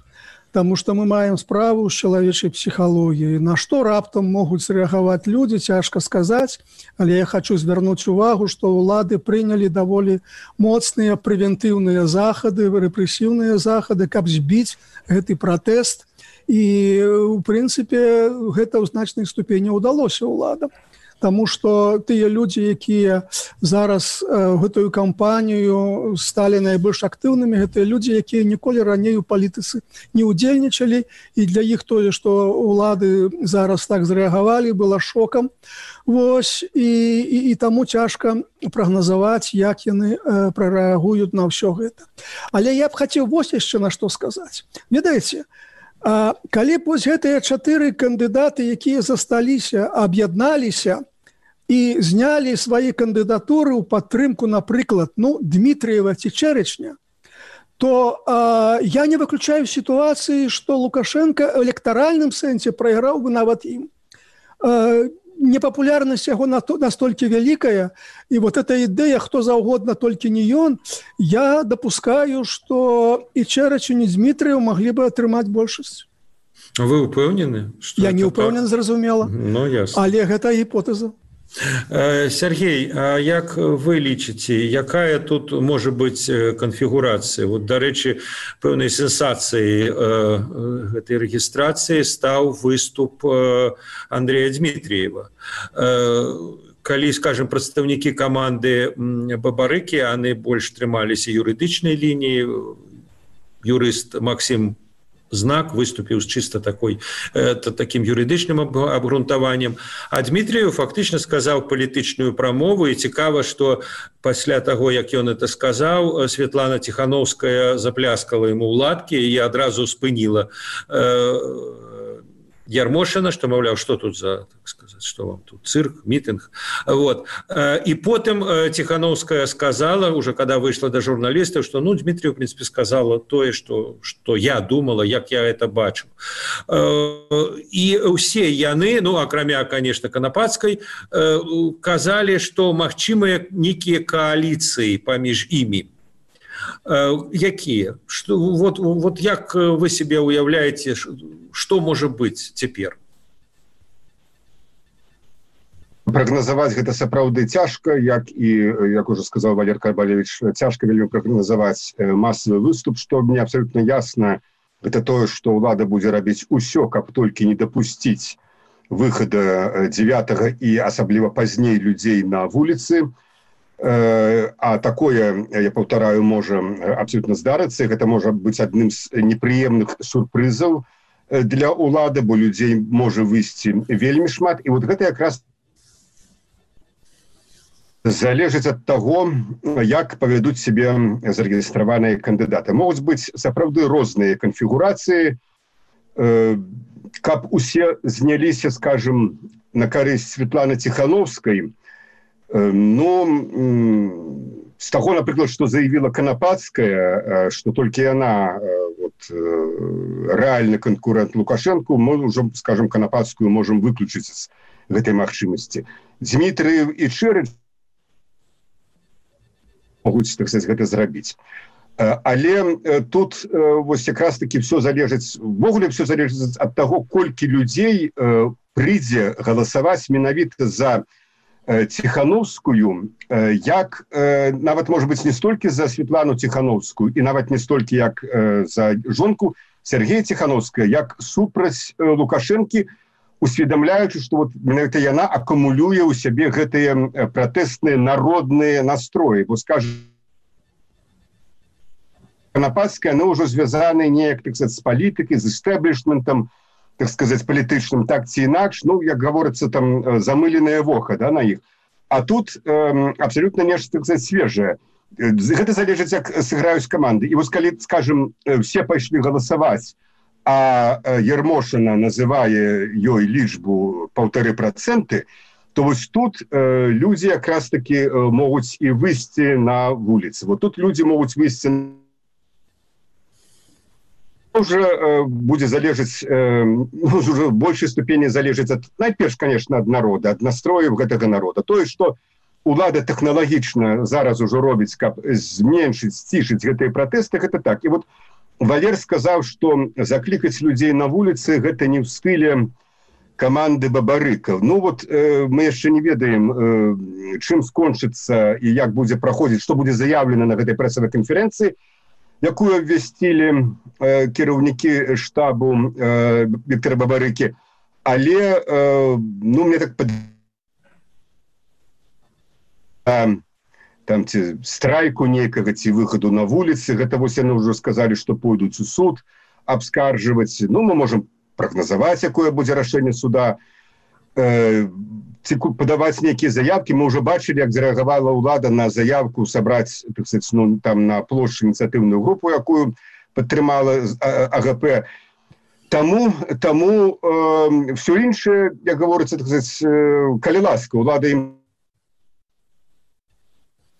таму што мы маем справу з чалавечай псіхалогіяй. На што раптам могуць рэагаваць людзі, цяжка сказаць, але я хочу звярнуць увагу, што ўлады прынялі даволі моцныя прэвентыўныя захады, рэпрэсіўныя захады, каб збіць гэты пратэст. І, у прынцыпе, гэта ў значнай ступені ўдалося ўладам. Таму што тыя людзі, якія зараз э, гэтую кампанію сталі найбольш актыўнымі, гэтыя людзі, якія ніколі раней у палітыцы не ўдзельнічалі, і для іх тое, што ўлады зараз так зрэагавалі, было шокам. Вось, і, і, і таму цяжка прагназаваць, як яны э, прарэагуюць на ўсё гэта. Але я б хацеў вось яшчэ на што сказаць. Ведаеце, а калі б вось гэтыя чатыры кандыдаты, якія засталіся, аб'ядналіся і знялі свае кандыдатуры ў падтрымку, напрыклад, ну, Дмітрыева ці Чэрычня, то а, я не выключаю сітуацыі, што Лукашенко ў электаральным сэнсе прайграў бы нават ім. А, непапулярнасць яго настолькі вялікая, і вот эта ідэя, хто заўгодна, толькі не ён, я дапускаю, што і Чэрыч, і Дмітрыеў маглі бы атрымаць большасць. Вы ўпэўнены? Я не ўпэўнен, зразумела, ну, ясна. Але гэта гіпотэза. Сергей, а як вы лічыце, якая тут можа быць канфігурацыя? Вот, дарэчы, пэўнай сенсацыяй гэтай рэгістрацыі стаў выступ Андрэя Дмітріева. Калі, скажем, прадстаўнікі каманды Бабарыкі, яны больш трымаліся юрыдычнай лініі, юрыст Максим Знак выступіў з чыста такой, э, таким юрыдычным абгрунтаваннем. А Дмітріеў фактычна сказаў палітычную прамову, і цікава, што пасля таго, як ён это сказаў, Светлана Ціхановская запляскала яму ў ладкі і адразу спыніла э, Ярмошина, што, маўляў, што тут за, так сказаць, што вам тут, цырк, мітынг. Вот. І потым Ціхановская сказала, уже когда выйшла да журналістаў, што, ну, Дмітрію, в принципе, сказала тое, што, што я думала, як я это бачыў. І ўсе яны, ну, акрамя, конечно, Канапацкай, казалі, што магчымыя нейкія кааліцыі паміж імі. Якія? Што, вот, вот як вы себе уяўляеце, што можа быць цяпер? Прагназаваць гэта сапраўды цяжка, як і, як уже сказаў Валер Карбалевич, цяжка вельмі прагназаваць масавы выступ, што мне абсолютно ясна, гэта тое, што ўлада будзе рабіць усё, каб толькі не дапусціць выхада дзевятага і асабліва пазней людзей на вуліцы. А такое, я паўтараю, можа абсолютно здарыцца, гэта можа быць адным з непрыемных сюрпрызаў для ўлады, бо людзей можа выйсці вельмі шмат, і вот гэта якраз залежыць ад таго, як павядуць сябе зарэгістраваныя кандыдаты. Могуць быць сапраўды розныя канфігурацыі, каб усе зняліся, скажем, на карысць Светланы Ціхановскай. Ну, з таго, напрыклад, што заявіла Канапацкая, што толькі яна вот, рэальны канкурэнт Лукашэнку, мы ўжо, скажем, Канапацкую можам выключыць з гэтай магчымасці. Дзмітрыев і Чэрыч могуць, так сказаць, гэта зрабіць. Але тут вось якраз таки все залежыць, ввогуле все залежыць ад таго, колькі людзей прыйдзе галасаваць менавіта за Ціхановскую, як нават, можа быць, не столькі за Светлану Ціхановскую і нават не столькі як за жонку Сергея Ціхановская, як супраць Лукашэнкі, усведамляючы, што вот менавіта яна акумулюе ў сябе гэтыя пратэстныя народныя настроі. Бо, скажем, Канапацкая, яны ўжо звязаны неяк, так сказаць, з палітыкай, з эстэблішментам, так сказать, палітычным, так ці інакш, ну, як гаворыцца, там, замыленае вока, да, на іх. А тут э, абсолютно нешта, так сказать, свежае. Гэта залежыць, як сыграюць каманды. І вось калі, скажем, все пайшлі галасаваць, а Ермошина называе ёй лічбу паўтары працэнты, то вось тут э, людзі якраз таки могуць і выйсці на вуліцы. Вот тут людзі могуць выйсці уже э, будзе залежыць, э, уже в большай ступені залежыць ад, найперш, конечно, ад народа, ад настрояў гэтага народа. Тое, што улада тэхналагічна зараз ужо робіць, каб зменшыць, сцішыць гэтыя пратэсты, гэта так. І вот Валер сказаў, што заклікаць людзей на вуліцы гэта не ў стыле каманды Бабарыка. Ну вот э, мы яшчэ не ведаем, э, чым скончыцца і як будзе праходзіць, што будзе заяўлена на гэтай прэсавай канферэнцыі, якую абвясцілі э, кіраўнікі штабу э, Віктора Бабарыкі. Але, э, ну, мне так пад... а, там ці страйку нейкага, ці выхаду на вуліцы, гэта вось яны ўжо сказалі, што пойдуць у суд абскаржваць. Ну, мы можам прагназаваць, якое будзе рашэнне суда, э, ці падаваць нейкія заявкі. Мы ўжо бачылі, як зарэагавала ўлада на заявку сабраць, так сказаць, ну, там на плошчы ініцыятыўную групу, якую падтрымала АГП. Таму, таму э, все іншае, як гаворыцца, так сказаць, э, калі ласка, ўлада ім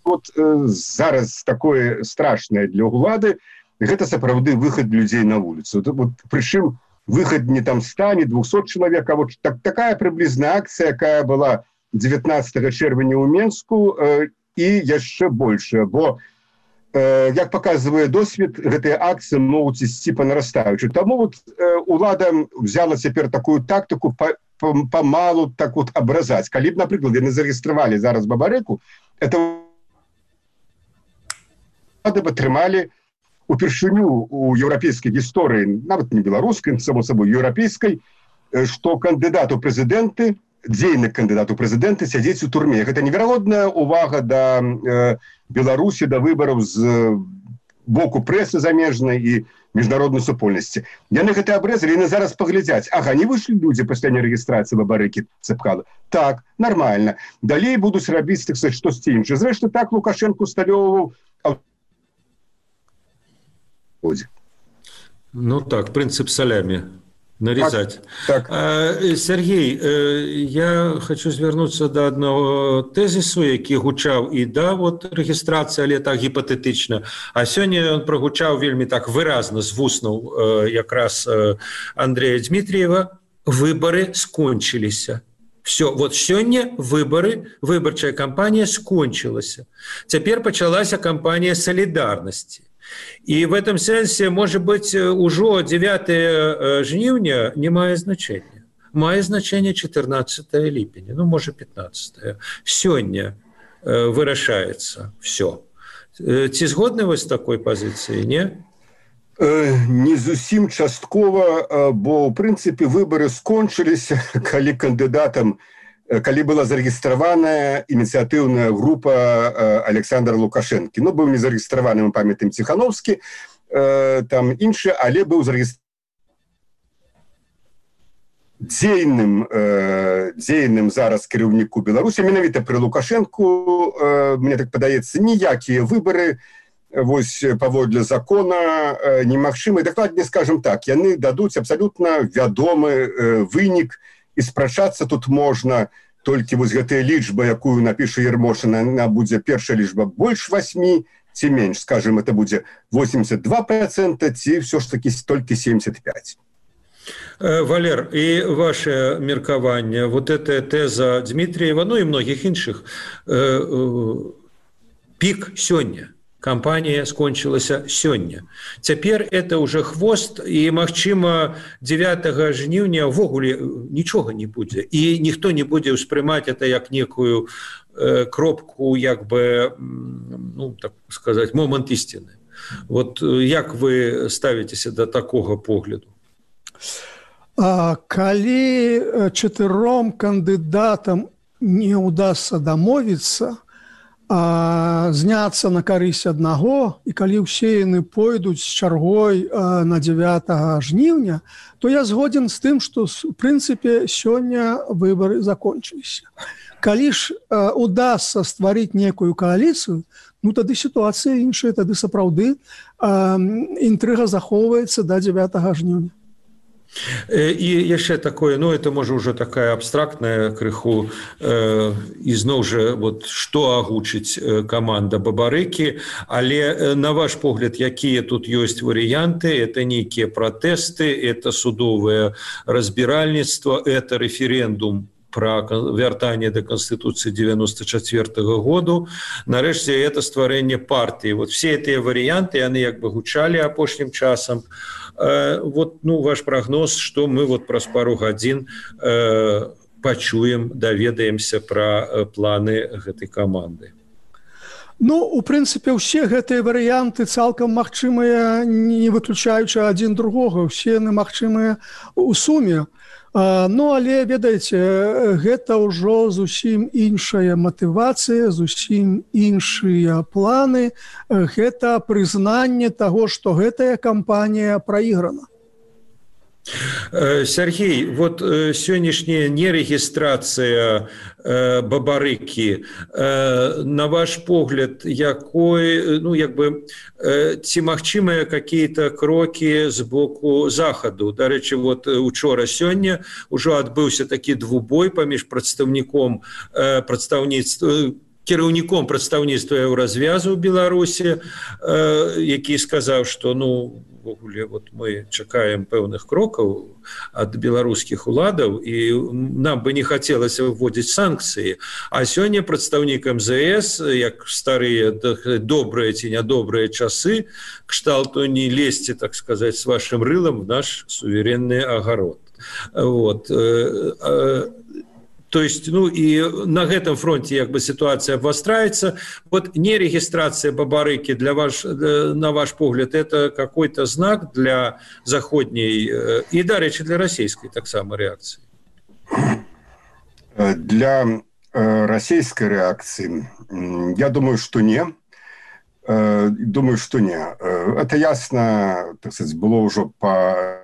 вот э, зараз такое страшнае для ўлады, гэта сапраўды выхад людзей на вуліцу. Вот, прычым выход не там ста, не двухсот чалавек, а вот так, такая прыблізная акцыя, якая была дзевятнаццатага чэрвеня ў Менску, э, і яшчэ большая, бо, э, як паказвае досвед, гэтыя акцыі могуць ісці па нарастаючы. Таму вот э, улада взяла цяпер такую тактыку памалу так вот абразаць. Калі б, напрыклад, яны зарэгістравалі зараз Бабарыку, это улады б атрымалі упершыню у еўрапейскай гісторыі, нават не беларускай, само сабой, еўрапейскай, што кандыдат у прэзідэнты, дзейны кандыдат у прэзідэнты сядзець у турме. Гэта неверагодная увага да э, Беларусі, да выбараў з э, боку прэсы замежнай і міжнароднай супольнасці. Яны гэта абрэзалі, яны зараз паглядзяць. Ага, не выйшлі людзі пасля нерэгістрацыі Бабарыкі, Цэпкала. Так, нармальна. Далей будуць рабіць, так сказаць, штосьці іншае. Зрэшты, так Лукашэнку усталёўваў. Ну так, принцип салями. Нарезать. Так, так. Сергей, я хочу звярнуцца да аднаго тэзісу, які гучаў і да вот рэгістрацыі, але так гіпатэтычна. А сёння ён прагучаў вельмі так выразна з вуснаў якраз Андрея Дмитриева. Выборы скончыліся. Все, вот сёння выборы, выбарчая кампанія скончылася. Цяпер пачалася кампанія салідарнасці. И в этом сенсе, может быть, уже девятое жніўня не мае значения. Мае значение четырнадцатое ліпеня, ну, может, пятнадцатое. Сёння вырашаецца все. Ці згодны вы з такой пазіцыяй, не? Не зусім часткова, бо, в прынцыпе, выборы скончыліся, калі кандыдатам, калі была зарэгістраваная ініцыятыўная група Александра Лукашэнкі. Ну, быў не зарэгістраваны, мы памятаем, Ціхановскі, там іншы, але быў зарэгістраваны дзейным, дзейным зараз кіраўніку Беларусі, менавіта пры Лукашэнку, мне так падаецца, ніякія выборы, вось паводле закона немагчымы. Дакладней, скажем так, яны дадуць абсалютна вядомы вынік, і спрачацца тут можна толькі вось гэтая лічба, якую напіша Ермошина, она будзе першая лічба больш восьмі ці менш, скажем, это будзе восемьдесят два процента ці все ж таки толькі семьдесят пять. Валер, і ваше меркаванне, вот эта теза Дмитриева, ну і многіх іншых, пік сёння. Кампанія скончылася сёння. Цяпер это уже хвост, і, магчыма, дзевятага жніўня ўвогуле нічога не будзе. І ніхто не будзе ўспрымаць это як некую э, кропку, як бы, ну, так сказаць, момант ісціны. Вот як вы ставіцеся да такога погляду? А, калі чатыром кандыдатам не ўдасца дамовіцца, а, зняцца на карысць аднаго, і калі ўсе яны пойдуць з чаргой а, на дзевятага жніўня, то я згоден з тым, што в прынцыпе сёння выбары закончыліся. Калі ж а, удасца стварыць некую кааліцыю, ну тады сітуацыя іншая, тады сапраўды а, інтрыга захоўваецца да дзевятага жніўня. І яшчэ такое, ну это можа ўжо такая абстрактная крыху, э, і зноў жа вот што агучыць каманда Бабарыкі, але на ваш погляд, якія тут ёсць варыянты? Это нейкія пратэсты, это судовае разбіральніцтва, это рэферэндум про вяртанне да Конституцыі девяносто четвёртого году, нарэшце это стварэнне партыі. Вот все гэтыя варыянты, яны як бы гучалі апошнім часам. Э, вот, ну, ваш прогноз, што мы вот праз пару гадзін э, пачуем, даведаемся пра э, планы гэтай каманды. Ну, у прынцыпе, ўсе гэтыя варыянты цалкам магчымыя, не выключаючы адзін другога, усе яны магчымыя ў суме. Ну, але, ведаеце, гэта ўжо зусім іншая матывацыя, зусім іншыя планы. Гэта прызнанне таго, што гэтая кампанія праіграна. Сергей, вот сённяшняя нерегистрация Бабарыкі, на ваш погляд, якой, ну, як бы, ці магчымыя какие-то кроки з боку Захаду? Дарэчы, вот учора сёння ўжо адбыўся такі двубой паміж прадстаўніком прадстаўніцтва, кіраўніком прадстаўніцтва Еўразвязу ў Беларусі, які сказаў, што, ну, вот мы чакаем пэўных крокаў ад беларускіх уладаў, і нам бы не хацелася вводзіць санкцыі. А сёння прадстаўнік эм зэ эс, як старыя добрыя ці нядобрыя часы, кшталту не лезьце, так сказаць, с вашим рылам в наш суверенны агарод. Вот. То есть, ну, и на этом фронте як бы ситуация обостряется. Вот нерегистрация Бабарыки для ваш, на ваш погляд, это какой-то знак для заходней и, да, речи для российской так само реакции? Для российской реакции, я думаю, что не. Думаю, что не. Это ясно, так сказать, было уже по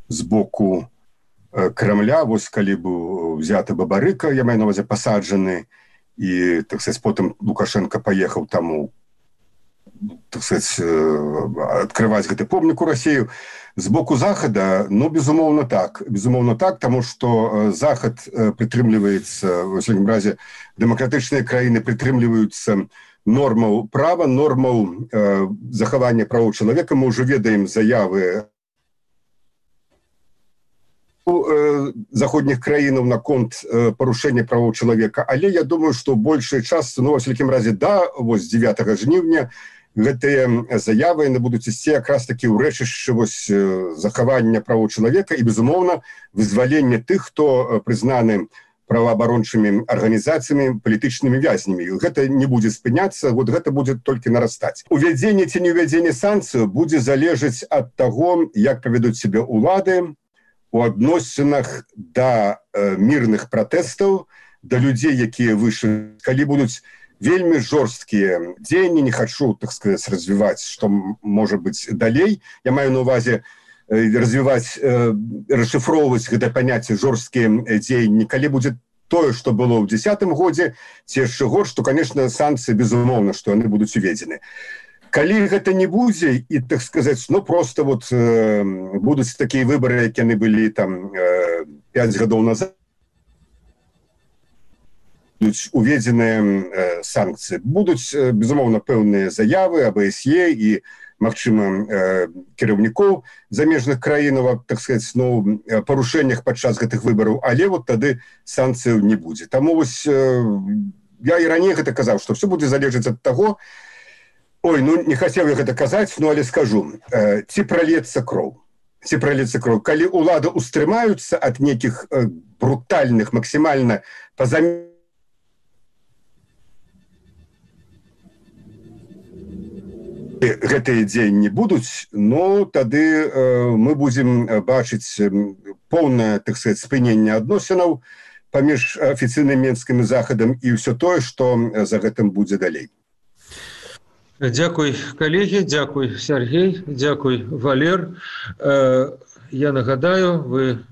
сбоку Кремля, вось калі быў взяты Бабарыка, я маю на увазе пасаджаны, і, так сказать, потым Лукашенко паехаў таму, так сказать, адкрываць гэты помнік у Расію. З боку Захада, ну, безумоўна так. Безумоўна так, таму што Захад прытрымліваецца, в усякім разе, дэмакратычныя краіны прытрымліваюцца нормаў права, нормаў э, захавання правоў чалавека. Мы ўжо ведаем заявы заходніх краінаў наконт парушэння правоў чалавека, але я думаю, што большая частка, ну, во всякім разе, да, вось дзевятага жніўня гэтыя заявы яны будуць ісці якраз такі ў рэчышчы вось захавання правоў чалавека і, безумоўна, вызвалення тых, хто прызнаны праваабарончымі арганізацыямі, палітычнымі вязнямі. Гэта не будзе спыняцца, вот гэта будзе толькі нарастаць. Увядзенне ці не ўвядзенне санкцыяў будзе залежаць ад таго, як павядуць сябе ўлады у адносінах да э, мірных пратэстаў, да людзей, якія выйшлі. Калі будуць вельмі жорсткія дзеянні, не хачу, так сказаць, развіваць, што можа быць далей. Я маю на увазе э, развіваць, э, расшифроўваць гэта паняцце жорсткія дзеянні. Калі будзе тое, што было ў дзесятым годзе, ці яшчэ горш, то, конечно, санкцыі, безумоўна, што яны будуць уведзены. Калі гэта не будзе, і, так сказаць, ну, просто вот э, будуць такія выбары, які яны былі там э, пяць гадоў назад, будуць уведзеныя санкцыі. Будуць, безумоўна, пэўныя заявы об АБСЕ і, магчыма, кіраўнікоў замежных краінаў, так сказать, ну, парушэннях падчас гэтых выбараў, але вот тады санкцыяў не будзе. Таму вось я і раней гэта казаў, што все будзе залежаць ад таго, ой, ну не хацеў я гэта казаць, ну але скажу, ці пролецца кроў. Ці пролецца кроў. Калі ўлады устрымаюцца ад нейкіх брутальных, максімальна пазамерных гэтыя дзеянні будуць, но тады э, мы будзем бачыць поўнае, так сказать, спыненне адносінаў паміж афіцыйным менскім захадам і ўсё тое, што за гэтым будзе далей. Дзякуй, калегі, дзякуй, Сергей, дзякуй, Валер. Э, я нагадаю, вы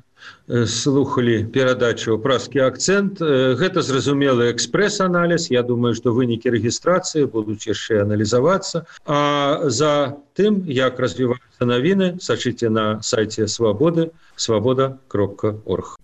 слухали перадачу «Празкі акцент». Гэта зразумелы экспрэс-аналіз. Я думаю, што вынікі рэгістрацыі будуць яшчэ аналізавацца. А за тым, як развіваюцца навіны, сачыце на сайце Свабоды, свабода кропка орг.